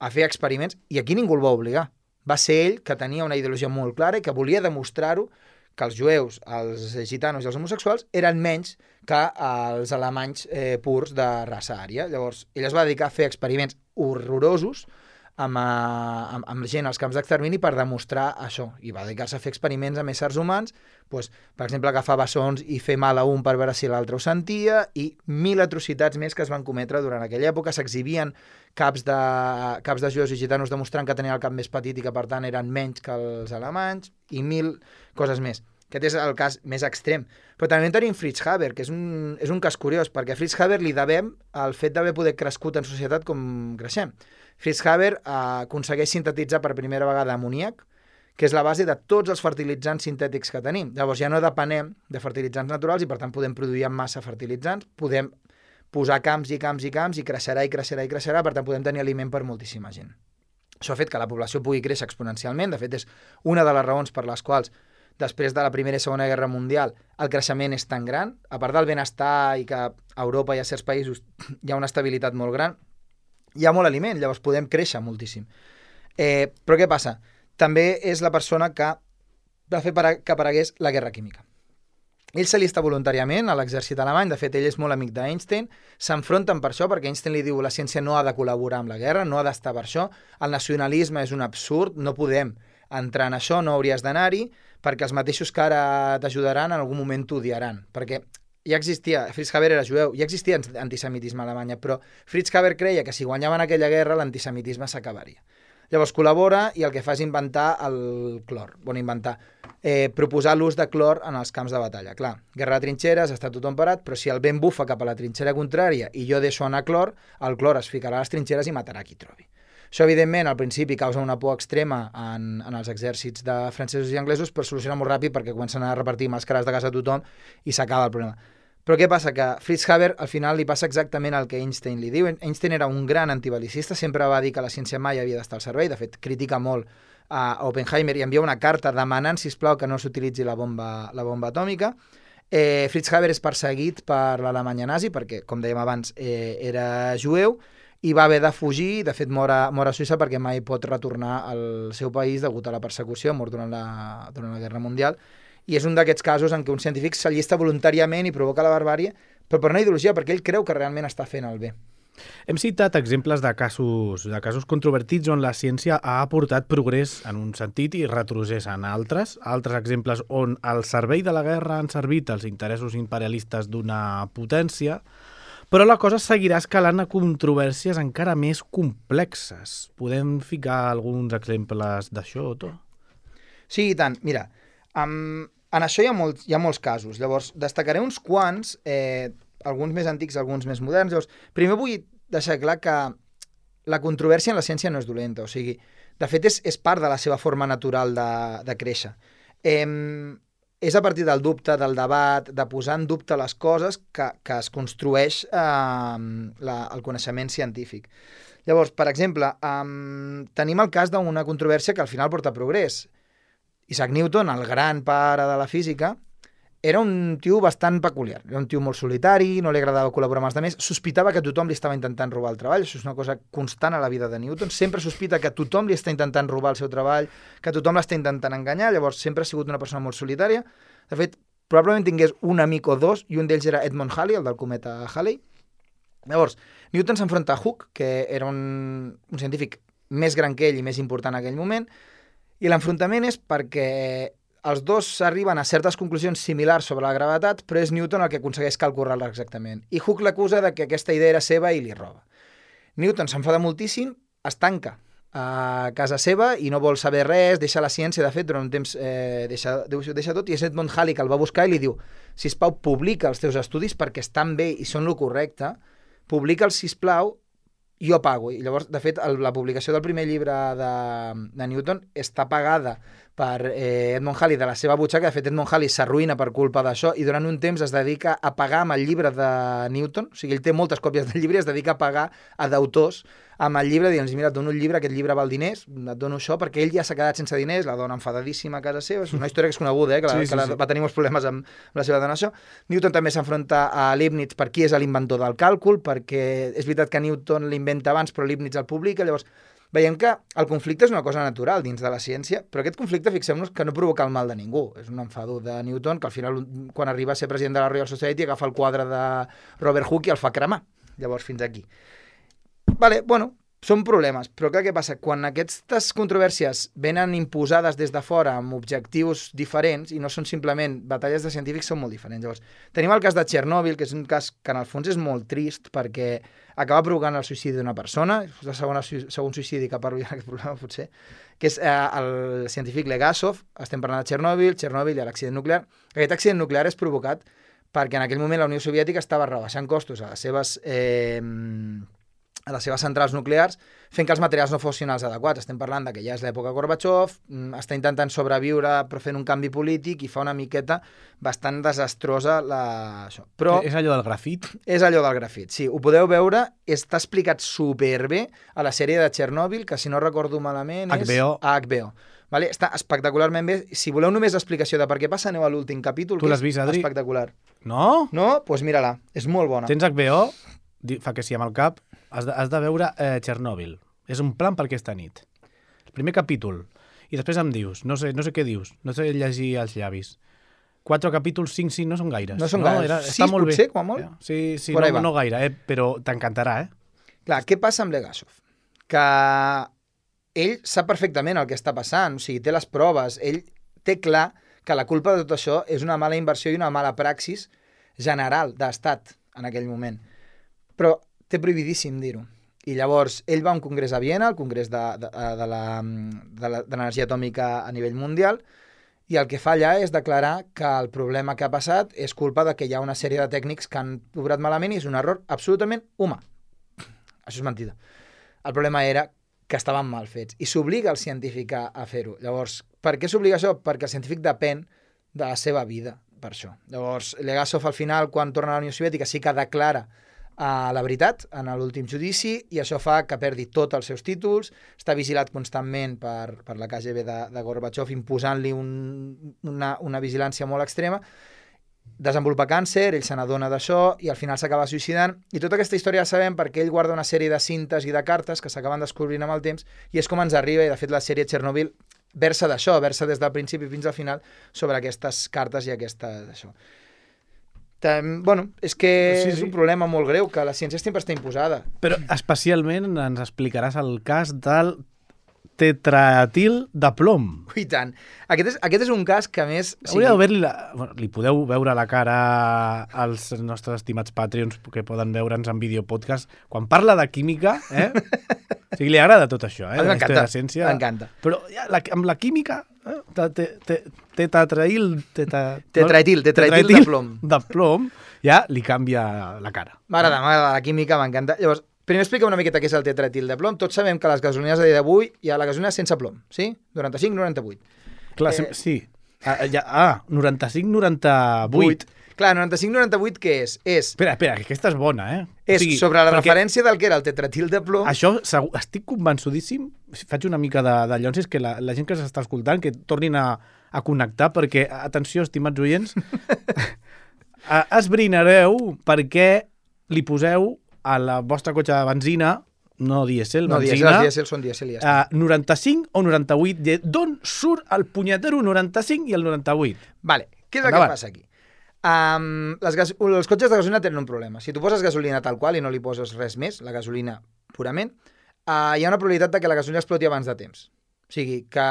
a fer experiments, i aquí ningú el va obligar. Va ser ell que tenia una ideologia molt clara i que volia demostrar-ho, que els jueus, els gitanos i els homosexuals eren menys que els alemanys purs de raça ària. Llavors, ell es va dedicar a fer experiments horrorosos amb gent als camps d'extermini per demostrar això, i va dedicar-se a fer experiments amb éssers humans, doncs, per exemple, agafar bessons i fer mal a un per veure si l'altre ho sentia, i 1000 atrocitats més que es van cometre durant aquella època. S'exhibien caps de jueus i gitanos demostrant que tenien el cap més petit i que, per tant, eren menys que els alemanys, i 1000 coses més. Aquest és el cas més extrem. Però també tenim Fritz Haber, que és un cas curiós, perquè a Fritz Haber li devem el fet d'haver poder crescut en societat com creixem. Fritz Haber aconsegueix sintetitzar per primera vegada amoníac, que és la base de tots els fertilitzants sintètics que tenim. Llavors ja no depenem de fertilitzants naturals i, per tant, podem produir en massa fertilitzants, podem posar camps i camps i camps i creixerà i creixerà i creixerà, per tant, podem tenir aliment per moltíssima gent. Això ha fet que la població pugui créixer exponencialment. De fet, és una de les raons per les quals després de la Primera i Segona Guerra Mundial el creixement és tan gran. A part del benestar i que a Europa i a certs països hi ha una estabilitat molt gran, hi ha molt aliment, llavors podem créixer moltíssim. Però què passa? També és la persona que va fer que aparegués la guerra química. Ell s'allista voluntàriament a l'exèrcit alemany, de fet ell és molt amic d'Einstein, s'enfronten per això, perquè Einstein li diu la ciència no ha de col·laborar amb la guerra, no ha d'estar per això, el nacionalisme és un absurd, no podem entrar en això, no hauries d'anar-hi, perquè els mateixos que ara t'ajudaran en algun moment t'odiaran, perquè ja existia, Fritz Haber era jueu, ja existia antisemitisme a Alemanya, però Fritz Haber creia que si guanyaven aquella guerra l'antisemitisme s'acabaria. Llavors col·labora i el que fa és inventar el clor. Proposar l'ús de clor en els camps de batalla. Clar, guerra de trinxeres, està tothom parat, però si el vent bufa cap a la trinxera contrària i jo deixo anar clor, el clor es ficarà a les trinxeres i matarà qui trobi. Això, evidentment, al principi causa una por extrema en els exèrcits de francesos i anglesos, però soluciona molt ràpid perquè comencen a repartir màscares de gas a tothom i s'acaba el problema. Però què passa? Que Fritz Haber al final li passa exactament el que Einstein li diu. Einstein era un gran antibelicista, sempre va dir que la ciència mai havia d'estar al servei, de fet critica molt a Oppenheimer i envia una carta demanant, sisplau, que no s'utilitzi la bomba atòmica. Fritz Haber és perseguit per l'Alemanya nazi perquè, com dèiem abans, era jueu i va haver de fugir, de fet mor a Suïssa perquè mai pot retornar al seu país degut a la persecució, mort durant la Guerra Mundial. I és un d'aquests casos en què un científic s'allista voluntàriament i provoca la barbàrie, però per una ideologia, perquè ell creu que realment està fent el bé. Hem citat exemples de casos controvertits on la ciència ha aportat progrés en un sentit i retrocés en altres exemples on al servei de la guerra han servit els interessos imperialistes d'una potència, però la cosa seguirà escalant a controvèrsies encara més complexes. Podem ficar alguns exemples d'això, Otto? Sí, i tant. Mira, en això hi ha molts casos. Llavors, destacaré uns quants, alguns més antics, alguns més moderns. Llavors, primer vull deixar clar que la controvèrsia en la ciència no és dolenta. O sigui, de fet, és part de la seva forma natural de créixer. És a partir del dubte, del debat, de posar en dubte les coses que es construeix el coneixement científic. Llavors, per exemple, tenim el cas d'una controvèrsia que al final porta progrés. Isaac Newton, el gran pare de la física, era un tio bastant peculiar. Era un tio molt solitari, no li agradava col·laborar amb els altres, sospitava que tothom li estava intentant robar el treball, això és una cosa constant a la vida de Newton, sempre sospita que tothom li està intentant robar el seu treball, que tothom l'està intentant enganyar, llavors sempre ha sigut una persona molt solitària. De fet, probablement tingués un amic o dos, i un d'ells era Edmund Halley, el del cometa Halley. Llavors, Newton s'enfronta a Hooke, que era un científic més gran que ell i més important en aquell moment, i l'enfrontament és perquè els dos arriben a certes conclusions similars sobre la gravetat, però és Newton el que aconsegueix calcular-la exactament. I Hooke l'acusa de que aquesta idea era seva i li roba. Newton s'enfada moltíssim, es tanca a casa seva i no vol saber res, deixa la ciència, de fet, durant un temps deixa tot, i és Edmund Halley que el va buscar i li diu: sisplau, publica els teus estudis perquè estan bé i són lo correcte, publica'ls, sisplau, jo pago. I llavors, de fet, la publicació del primer llibre de Newton està pagada per Edmund Halley de la seva butxaca. De fet, Edmund Halley s'arruïna per culpa d'això i durant un temps es dedica a pagar amb el llibre de Newton, o sigui, ell té moltes còpies del llibre i es dedica a pagar a d'autors amb el llibre, dient: mira, et dono un llibre, aquest llibre val diners, et dono això, perquè ell ja s'ha quedat sense diners, la dona enfadadíssima a casa seva, és una història que és coneguda, que va tenir molts problemes amb la seva dona, això. Newton també s'enfronta a Leibniz per qui és l'inventor del càlcul, perquè és veritat que Newton l'inventa abans, però Leibniz el publica, llavors veiem que el conflicte és una cosa natural dins de la ciència, però aquest conflicte, fixem-nos, que no provoca el mal de ningú. És un enfado de Newton que al final, quan arriba a ser president de la Royal Society, agafa el quadre de Robert Hooke i el fa cremar. Llavors, fins aquí. Vale, bueno, són problemes, però clar, què passa? Quan aquestes controvèrsies venen imposades des de fora amb objectius diferents i no són simplement batalles de científics, són molt diferents. Llavors, tenim el cas de Txernòbil, que és un cas que en el fons és molt trist perquè acaba provocant el suïcidi d'una persona, és el segon suïcidi que parlo ja en aquest programa, potser, que és el científic Legasov. Estem parlant de Txernòbil i l'accident nuclear. Aquest accident nuclear és provocat perquè en aquell moment la Unió Soviètica estava rebaixant costos a les seves centrals nuclears, fent que els materials no fossin els adequats. Estem parlant de que ja és l'època Gorbachev, està intentant sobreviure però fent un canvi polític i fa una miqueta bastant desastrosa això. Però és allò del grafit? És allò del grafit, sí. Ho podeu veure, està explicat superbé a la sèrie de Txernòbil, que si no recordo malament és a HBO. Vale? Està espectacularment bé. Si voleu només l'explicació de per què passa, aneu a l'últim capítol, tu que l'has vist, és Adri? Espectacular. No? No? Doncs mira-la, és molt bona. Tens HBO? Fa que sí amb el cap. Has de veure Txernòbil. És un plan per aquesta nit. El primer capítol. I després em dius, no sé què dius, no sé llegir els llavis. 4 capítols, 5, no són gaires. No són gaires. 6 potser, com a molt? Sí, no gaire, però t'encantarà, Clar, què passa amb Legasov? Que ell sap perfectament el que està passant, o sigui, té les proves, ell té clar que la culpa de tot això és una mala inversió i una mala praxis general d'estat en aquell moment. Però té prohibidíssim dir-ho. I llavors, ell va a un congrés a Viena, el congrés de l'energia atòmica a nivell mundial, i el que fa allà és declarar que el problema que ha passat és culpa de que hi ha una sèrie de tècnics que han obrat malament i és un error absolutament humà. Això és mentida. El problema era que estaven mal fets i s'obliga el científic a fer-ho. Llavors, per què s'obliga això? Perquè el científic depèn de la seva vida, per això. Llavors, Legasov al final, quan torna a la Unió Soviètica, sí que declara la veritat en l'últim judici i això fa que perdi tots els seus títols, està vigilat constantment per la KGB de Gorbachev, imposant-li una vigilància molt extrema, desenvolupa càncer, ell se n'adona d'això i al final s'acaba suïcidant, i tota aquesta història la sabem perquè ell guarda una sèrie de cintes i de cartes que s'acaben descobrint amb el temps i és com ens arriba, i de fet la sèrie Txernòbil versa d'això, versa des del principi fins al final sobre aquestes cartes i d'això. Bueno, és que és un problema molt greu, que la ciència sempre està imposada. Però especialment ens explicaràs el cas del tetraetil de plom. I tant. Aquest és un cas que, a més... Li podeu veure la cara als nostres estimats Patreons que poden veure'ns en videopodcast. Quan parla de química, o sigui, li agrada tot això, M'encanta, ciència. m'encanta. Però amb la química... Tetraetil de plom. De plom, ja li canvia la cara. M'agrada la química, m'encanta. Llavors, primer explica una miqueta què és el tetraetil de plom. Tots sabem que les gasolines a dia d'avui hi ha la gasolina sense plom, sí? 95, 98. Clar, sí. 95, 98. Clar, 95-98 què és? Espera, que aquesta és bona, És sobre la referència del que era el tetratil de plom. Això estic convençudíssim, faig una mica de llonsis, que la gent que s'està escoltant, que tornin a connectar, perquè, atenció, estimats oients, esbrinareu per què li poseu a la vostra cotxe de benzina, no dièsel, benzina... No, dièsel són dièsel i ja està. 95 o 98, d'on surt el punyetero 95 i el 98? Vale, què és el que passa aquí? Els cotxes de gasolina tenen un problema. Si tu poses gasolina tal qual i no li poses res més, la gasolina purament, hi ha una probabilitat de que la gasolina exploti abans de temps. O sigui, que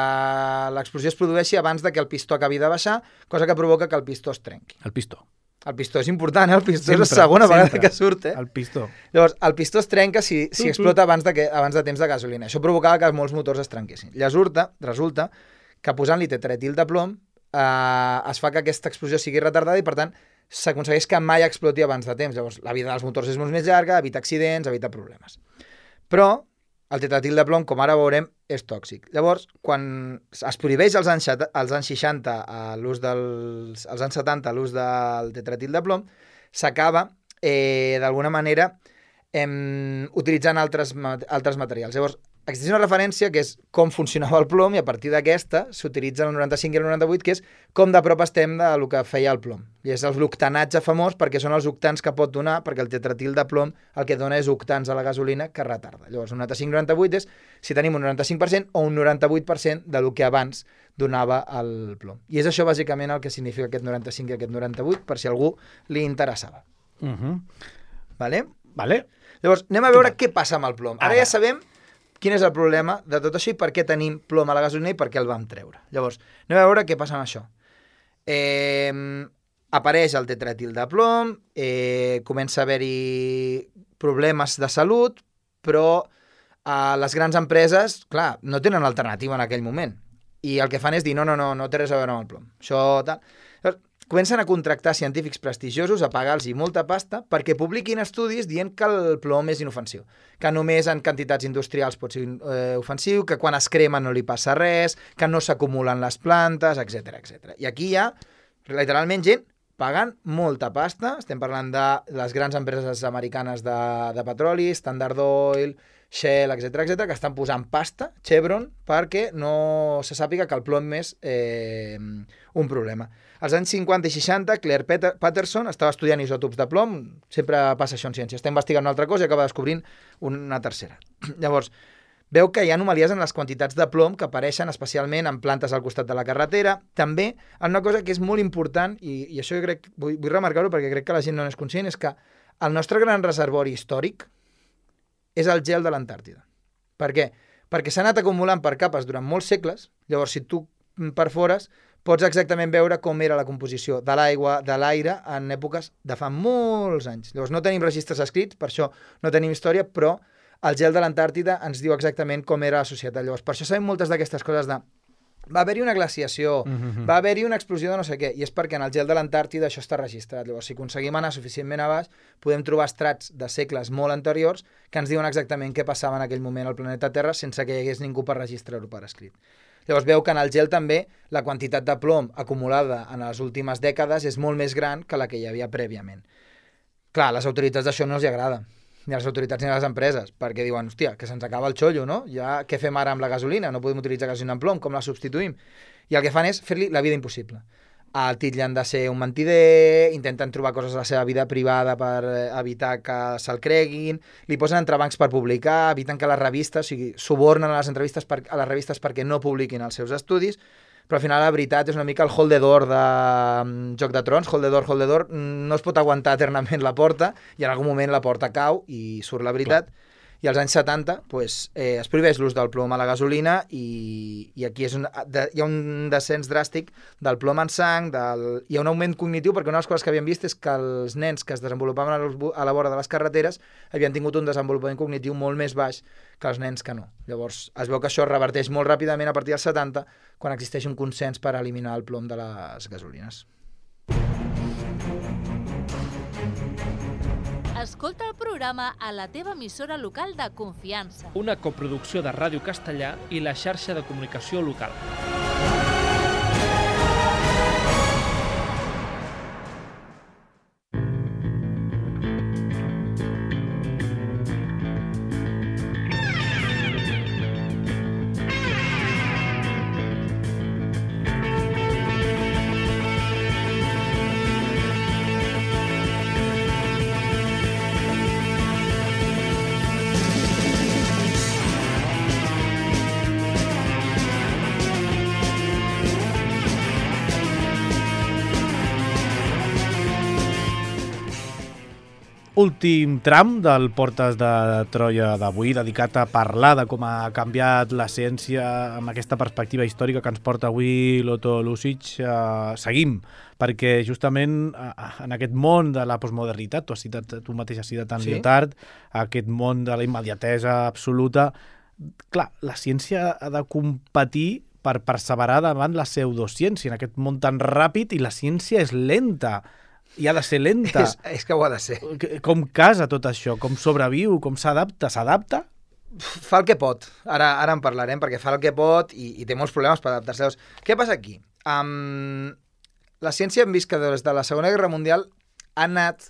l'explosió es produeixi abans de que el pistó acabi de baixar, cosa que provoca que el pistó es trenqui. El pistó. El pistó és important, el pistó és la segona vegada que surt, El pistó. Llavors, el pistó es trenca si explota abans de temps de gasolina. Això provocava que molts motors es trenquessin. Resulta que posant-li tetraetil de plom es fa que aquesta explosió sigui retardada i, per tant, s'aconsegueix que mai exploti abans de temps. Llavors, la vida dels motors és molt més llarga, evita accidents, evita problemes. Però el tetraetil de plom, com ara veurem, és tòxic. Llavors, quan es prohibeix als anys 60 l'ús als anys 70 l'ús del tetraetil de plom, s'acaba, d'alguna manera, utilitzant altres materials. Llavors, existeix una referència que és com funcionava el plom i a partir d'aquesta s'utilitza el 95 i el 98, que és com de prop estem del que feia el plom. I és l'octanatge famós perquè són els octans que pot donar, perquè el tetraetil de plom el que dona és octans a la gasolina que retarda. Llavors, un 95-98 és si tenim un 95% o un 98% del que abans donava el plom. I és això bàsicament el que significa aquest 95 i aquest 98, per si a algú li interessava. Vale? Llavors, anem a veure què passa amb el plom. Ara ja sabem quin és el problema de tot això i per què tenim plom a la gasolina i per què el vam treure. Llavors, anem a veure què passa amb això. Apareix el tetraetil de plom, comença a haver-hi problemes de salut, però les grans empreses, clar, no tenen alternativa en aquell moment. I el que fan és dir, no té res a veure amb el plom. Això, tal. Llavors, comencen a contractar científics prestigiosos, a pagar-los molta pasta perquè publiquin estudis dient que el plom és inofensiu, que només en quantitats industrials pot ser ofensiu, que quan es crema no li passa res, que no s'acumulen les plantes, etc. I aquí hi ha, literalment, gent pagant molta pasta. Estem parlant de les grans empreses americanes de petroli, Standard Oil, Shell, etc, que estan posant pasta, Chevron, perquè no se sàpiga que el plom és un problema. Als anys 50 i 60, Claire Patterson estava estudiant isòtops de plom, sempre passa això en ciència, està investigant una altra cosa i acaba descobrint una tercera. Llavors, veu que hi ha anomalies en les quantitats de plom que apareixen especialment en plantes al costat de la carretera. També, una cosa que és molt important, i això jo crec, vull remarcar-ho perquè crec que la gent no n'és conscient, és que el nostre gran reservori històric és el gel de l'Antàrtida. Per què? Perquè s'ha anat acumulant per capes durant molts segles, llavors si tu perfores pots exactament veure com era la composició de l'aigua, de l'aire, en èpoques de fa molts anys. Llavors no tenim registres escrits, per això no tenim història, però el gel de l'Antàrtida ens diu exactament com era la societat. Llavors, per això sabem moltes d'aquestes coses de va haver-hi una glaciació, va haver-hi una explosió de no sé què, i és perquè en el gel de l'Antàrtida això està registrat. Llavors, si aconseguim anar suficientment a baix, podem trobar estrats de segles molt anteriors que ens diuen exactament què passava en aquell moment al planeta Terra sense que hi hagués ningú per registrar-ho per escrit. Llavors veu que en el gel també la quantitat de plom acumulada en les últimes dècades és molt més gran que la que hi havia prèviament. Clar, a les autoritats d'això no els agrada, ni a les autoritats ni a les empreses, perquè diuen, hòstia, que se'ns acaba el xollo, no? Ja què fem ara amb la gasolina? No podem utilitzar gasolina amb plom, com la substituïm? I el que fan és fer-li la vida impossible. El titllen de ser un mentider, intenten trobar coses a la seva vida privada per evitar que se'l creguin, li posen entrebancs per publicar, eviten que les revistes, o sigui, subornen a les entrevistes a les revistes perquè no publiquin els seus estudis, però al final la veritat és una mica el hold the door de Joc de Trons, hold the door, no es pot aguantar eternament la porta i en algun moment la porta cau i surt la veritat. Clar. I als anys 70 es prohibeix l'ús del plom a la gasolina i aquí hi ha un descens dràstic del plom en sang, hi ha un augment cognitiu, perquè una de les coses que havíem vist és que els nens que es desenvolupaven a la vora de les carreteres havien tingut un desenvolupament cognitiu molt més baix que els nens que no. Llavors es veu que això es reverteix molt ràpidament a partir dels 70, quan existeix un consens per eliminar el plom de les gasolines. Escolta el programa a la teva emissora local de confiança. Una coproducció de Ràdio Castellà i la xarxa de comunicació local. últim tram del Portes de Troia d'avui, dedicat a parlar de com ha canviat la ciència amb aquesta perspectiva històrica que ens porta avui l'Otto Lucic. Seguim, perquè justament en aquest món de la postmodernitat, tu mateix has citat en Lyotard, aquest món de la immediatesa absoluta, clar, la ciència ha de competir per perseverar davant la pseudociència en aquest món tan ràpid, i la ciència és lenta. I ha de ser lenta. És que ho ha de ser. Com casa tot això? Com sobreviu? Com s'adapta? S'adapta? Fa el que pot. Ara en parlarem, perquè fa el que pot i té molts problemes per adaptar-se. Què passa aquí? La ciència hem vist que des de la Segona Guerra Mundial ha anat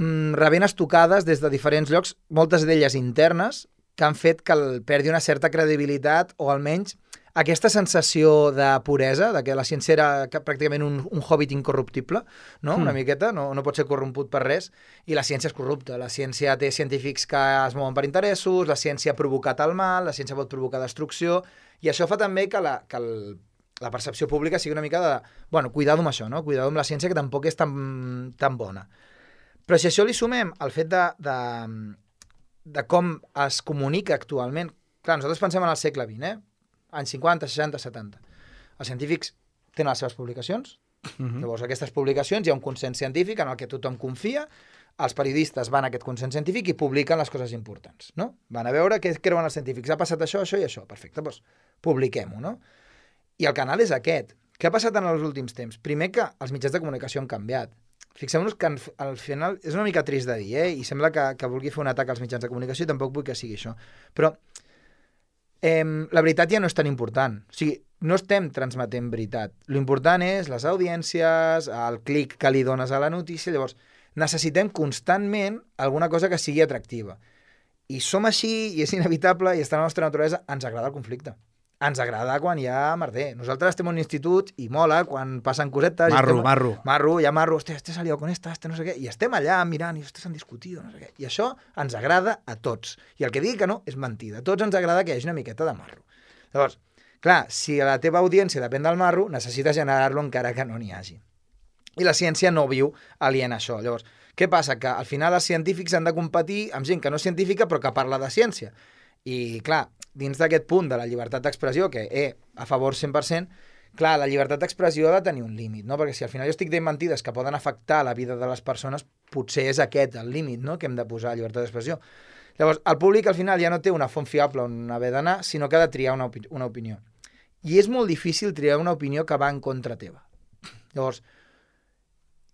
rebent estocades des de diferents llocs, moltes d'elles internes, que han fet que perdi una certa credibilitat, o almenys aquesta sensació de puresa, de que la ciència era pràcticament un hobbit incorruptible, no? Una miqueta, no pot ser corromput per res, i la ciència és corrupta. La ciència té científics que es mouen per interessos, la ciència ha provocat el mal, la ciència pot provocar destrucció, i això fa també que la percepció pública sigui una mica de, bueno, cuidado amb això, no? Cuidado amb la ciència, que tampoc és tan bona. Però si això li sumem el fet de com es comunica actualment, clar, nosaltres pensem en el segle XX, anys 50, 60, 70. Els científics tenen les seves publicacions, llavors aquestes publicacions hi ha un consens científic en el que tothom confia, els periodistes van a aquest consens científic i publiquen les coses importants, no? Van a veure què creuen els científics, ha passat això, això i això, perfecte, doncs publiquem-ho, no? I el canal és aquest. Què ha passat en els últims temps? Primer, que els mitjans de comunicació han canviat. Fixem-nos que al final és una mica trist de dir, i sembla que vulgui fer un atac als mitjans de comunicació, i tampoc vull que sigui això, però la veritat ja no és tan important. O sigui, no estem transmetent veritat. L'important és les audiències, el clic que li dones a la notícia. Llavors, necessitem constantment alguna cosa que sigui atractiva. I som així, i és inevitable, i està en la nostra naturalesa. Ens agrada el conflicte. Ens agrada quan hi ha merder. Nosaltres estem en un institut i mola quan passen cosetes. Marro. Hi ha marro. Hòstia, este salió con esta, no sé què. I estem allà mirant i s'han discutit, no sé què. I això ens agrada a tots. I el que digui que no és mentida. A tots ens agrada que hi hagi una miqueta de marro. Llavors, clar, si la teva audiència depèn del marro, necessites generar-lo encara que no n'hi hagi. I la ciència no viu aliena a això. Llavors, què passa? Que al final els científics han de competir amb gent que no és científica però que parla de ciència. I, clar, dins d'aquest punt de la llibertat d'expressió, que a favor 100%, clar, la llibertat d'expressió ha de tenir un límit, no? Perquè si al final jo estic dient mentides que poden afectar la vida de les persones, potser és aquest el límit, no?, que hem de posar a llibertat d'expressió. Llavors, el públic al final ja no té una font fiable on haver d'anar, sinó que ha de triar una opinió. I és molt difícil triar una opinió que va en contra teva. Llavors,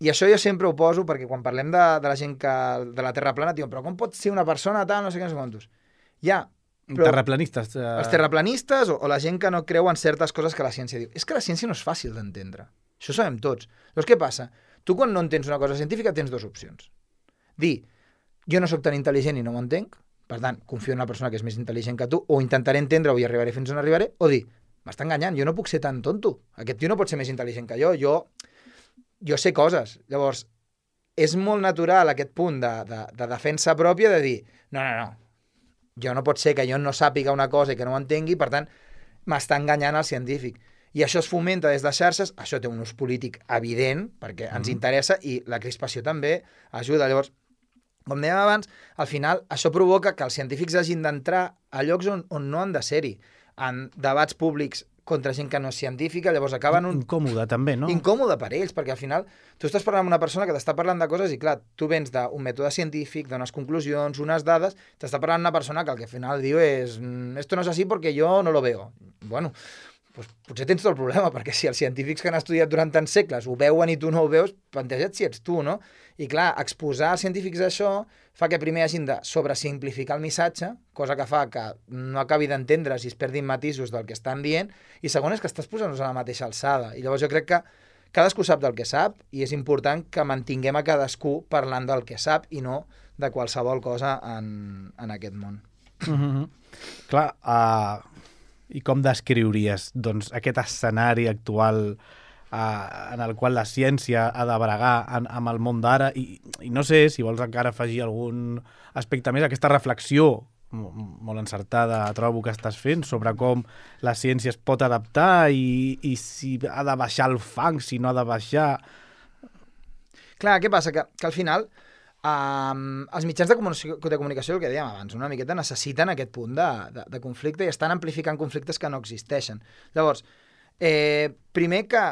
i això jo sempre ho poso, perquè quan parlem de la gent de la Terra plana, diuen, però com pot ser una persona tal, no sé què, no sé quantos. Però terraplanistes. Els terraplanistes o la gent que no creu en certes coses que la ciència diu. És que la ciència no és fàcil d'entendre. Això ho sabem tots. Llavors, què passa? Tu, quan no entens una cosa científica, tens dues opcions. Dir, jo no sóc tan intel·ligent i no m'ho entenc, per tant, confio en una persona que és més intel·ligent que tu, o intentaré entendre-ho i arribaré fins on arribaré, o dir, m'està enganyant, jo no puc ser tan tonto. Aquest tio no pot ser més intel·ligent que jo sé coses. Llavors, és molt natural aquest punt de defensa pròpia de dir, no, jo no pot ser que jo no sàpiga una cosa i que no ho entengui, per tant, m'està enganyant el científic. I això es fomenta des de xarxes, això té un ús polític evident, perquè ens interessa, i la crispació també ajuda. Llavors, com dèiem abans, al final això provoca que els científics hagin d'entrar a llocs on no han de ser-hi, en debats públics contra gent que no és científica, llavors acaben Incòmode, també, no? Incòmode per ells, perquè al final tu estàs parlant amb una persona que t'està parlant de coses i, clar, tu vens d'un mètode científic, d'unes conclusions, unes dades, t'està parlant amb una persona que el que al final diu és esto no es así porque yo no lo veo. Bueno, pues potser tens tot el problema, perquè si els científics que han estudiat durant tants segles ho veuen i tu no ho veus, planteja't si ets tu, no? I clar, exposar als científics això fa que primer hagin de sobresimplificar el missatge, cosa que fa que no acabi d'entendre si es perdin matisos del que estan dient, i segon és que estàs posant-nos a la mateixa alçada. I llavors jo crec que cadascú sap del que sap, i és important que mantinguem a cadascú parlant del que sap i no de qualsevol cosa en aquest món. Clar, i com descriuries doncs, aquest escenari actual en el qual la ciència ha de bregar amb el món d'ara, i no sé si vols encara afegir algun aspecte més, aquesta reflexió molt encertada trobo que estàs fent sobre com la ciència es pot adaptar i si ha de baixar el fang, si no ha de baixar. Clar, què passa? Que al final Els mitjans de comunicació, el que dèiem abans, una miqueta necessiten aquest punt de conflicte i estan amplificant conflictes que no existeixen. Llavors, primer que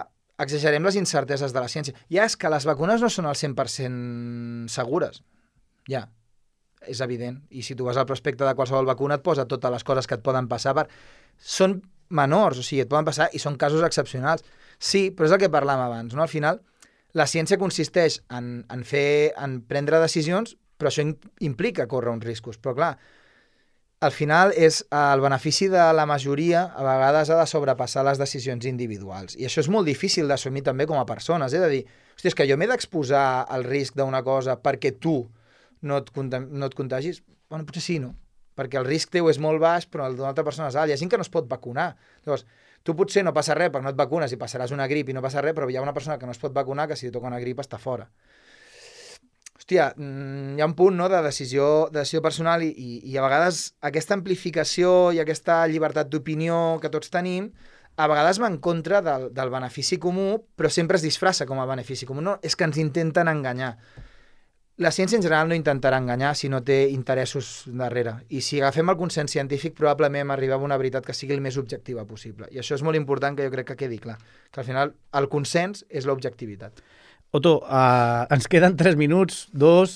exagerem les incerteses de la ciència. Ja és que les vacunes no són al 100% segures. Ja, és evident. I si tu vas al prospecte de qualsevol vacuna et posa totes les coses que et poden passar. Són menors, o sigui, et poden passar i són casos excepcionals. Sí, però és el que parlàvem abans, no? Al final, la ciència consisteix en prendre decisions, però això implica córrer uns riscos. Però clar, al final és el benefici de la majoria, a vegades ha de sobrepassar les decisions individuals. I això és molt difícil d'assumir també com a persones. De dir, hòstia, és que jo m'he d'exposar al risc d'una cosa perquè tu no et contagis? Bueno, potser sí, no? Perquè el risc teu és molt baix, però el d'una altra persona és alt. Hi ha gent que no es pot vacunar. Llavors, tu potser no passa res perquè no et vacunes i passaràs una grip i no passa res, però hi ha una persona que no es pot vacunar que si li toca una grip està fora. Hòstia, hi ha un punt, no, de decisió personal i a vegades aquesta amplificació i aquesta llibertat d'opinió que tots tenim a vegades va en contra del benefici comú, però sempre es disfressa com a benefici comú. No, és que ens intenten enganyar. La ciència en general no intentarà enganyar si no té interessos darrere. I si agafem el consens científic, probablement arribem a una veritat que sigui el més objectiva possible. I això és molt important, que jo crec que quedi clar. Que al final el consens és l'objectivitat. Otto, ens queden 3 minuts, 2.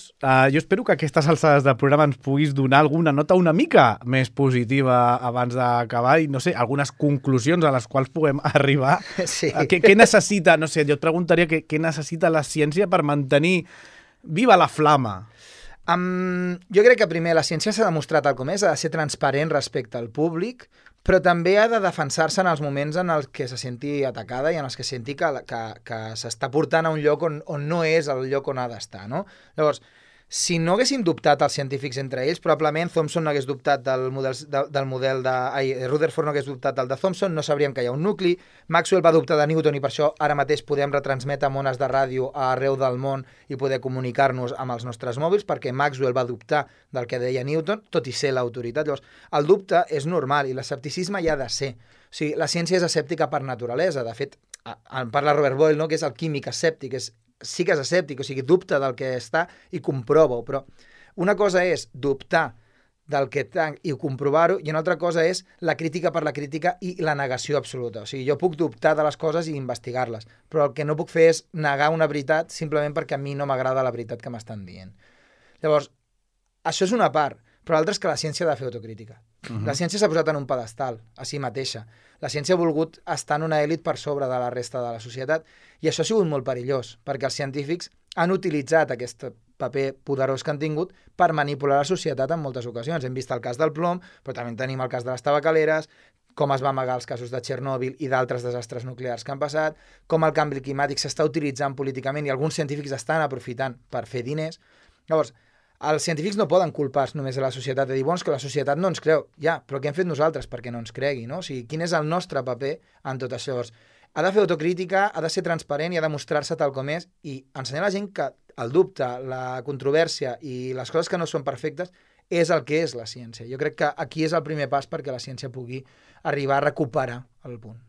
Jo espero que a aquestes alçades del programa ens puguis donar alguna nota una mica més positiva abans d'acabar i, no sé, algunes conclusions a les quals puguem arribar. Sí. Què necessita, no sé, jo et preguntaria què necessita la ciència per mantenir viva la flama? Jo crec que primer la ciència s'ha demostrat tal com és, ha de ser transparent respecte al públic, però també ha de defensar-se en els moments en els que se senti atacada i en els que senti que s'està portant a un lloc on no és el lloc on ha d'estar, no? Llavors, si no haguessin dubtat els científics entre ells, probablement Thomson no hagués dubtat del model Rutherford no hagués dubtat del de Thomson, no sabríem que hi ha un nucli, Maxwell va dubtar de Newton i per això ara mateix podem retransmetre amb ones de ràdio arreu del món i poder comunicar-nos amb els nostres mòbils, perquè Maxwell va dubtar del que deia Newton, tot i ser l'autoritat. Llavors, el dubte és normal i l'escepticisme hi ha de ser. O sigui, la ciència és escèptica per naturalesa. De fet, en parla Robert Boyle, no?, que és el químic escèptic, sí que és escèptic, o sigui, dubta del que està i comprova-ho, però una cosa és dubtar del que i comprovar-ho, i una altra cosa és la crítica per la crítica i la negació absoluta. O sigui, jo puc dubtar de les coses i investigar-les, però el que no puc fer és negar una veritat simplement perquè a mi no m'agrada la veritat que m'estan dient. Llavors, això és una part, però l'altra és que la ciència ha de fer autocrítica. La ciència s'ha posat en un pedestal a si mateixa. La ciència ha volgut estar en una èlit per sobre de la resta de la societat i això ha sigut molt perillós, perquè els científics han utilitzat aquest paper poderós que han tingut per manipular la societat en moltes ocasions. Hem vist el cas del plom, però també tenim el cas de les tabacaleres, com es va amagar els casos de Txernòbil i d'altres desastres nuclears que han passat, com el canvi climàtic s'està utilitzant políticament i alguns científics estan aprofitant per fer diners. Llavors, els científics no poden culpar només a la societat de dir, bueno, és que la societat no ens creu. Ja, però què hem fet nosaltres perquè no ens cregui, no? O sigui, quin és el nostre paper en tot això? Llavors, ha de fer autocrítica, ha de ser transparent i ha de mostrar-se tal com és i ensenyar a la gent que el dubte, la controvèrsia i les coses que no són perfectes és el que és la ciència. Jo crec que aquí és el primer pas perquè la ciència pugui arribar a recuperar el punt.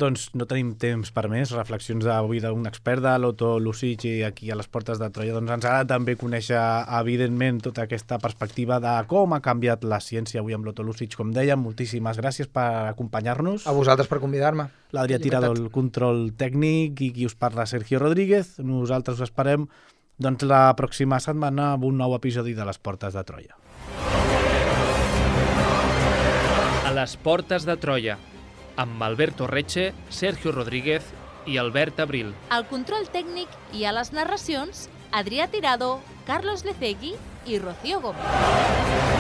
Doncs no tenim temps per més. Reflexions d'avui d'un expert, de l'Otto Lussich, i aquí a les portes de Troia. Doncs ens agrada també conèixer, evidentment, tota aquesta perspectiva de com ha canviat la ciència avui amb l'Otto Lussich. Com dèiem, moltíssimes gràcies per acompanyar-nos. A vosaltres per convidar-me. L'Adrià Tirado, el control tècnic, i qui us parla, Sergio Rodríguez. Nosaltres us esperem doncs, la pròxima setmana amb un nou episodi de les portes de Troia. A les portes de Troia, amb Alberto Reche, Sergio Rodríguez i Albert Abril. Al control tècnic i a les narracions, Adrià Tirado, Carlos Lecegui i Rocío Gómez.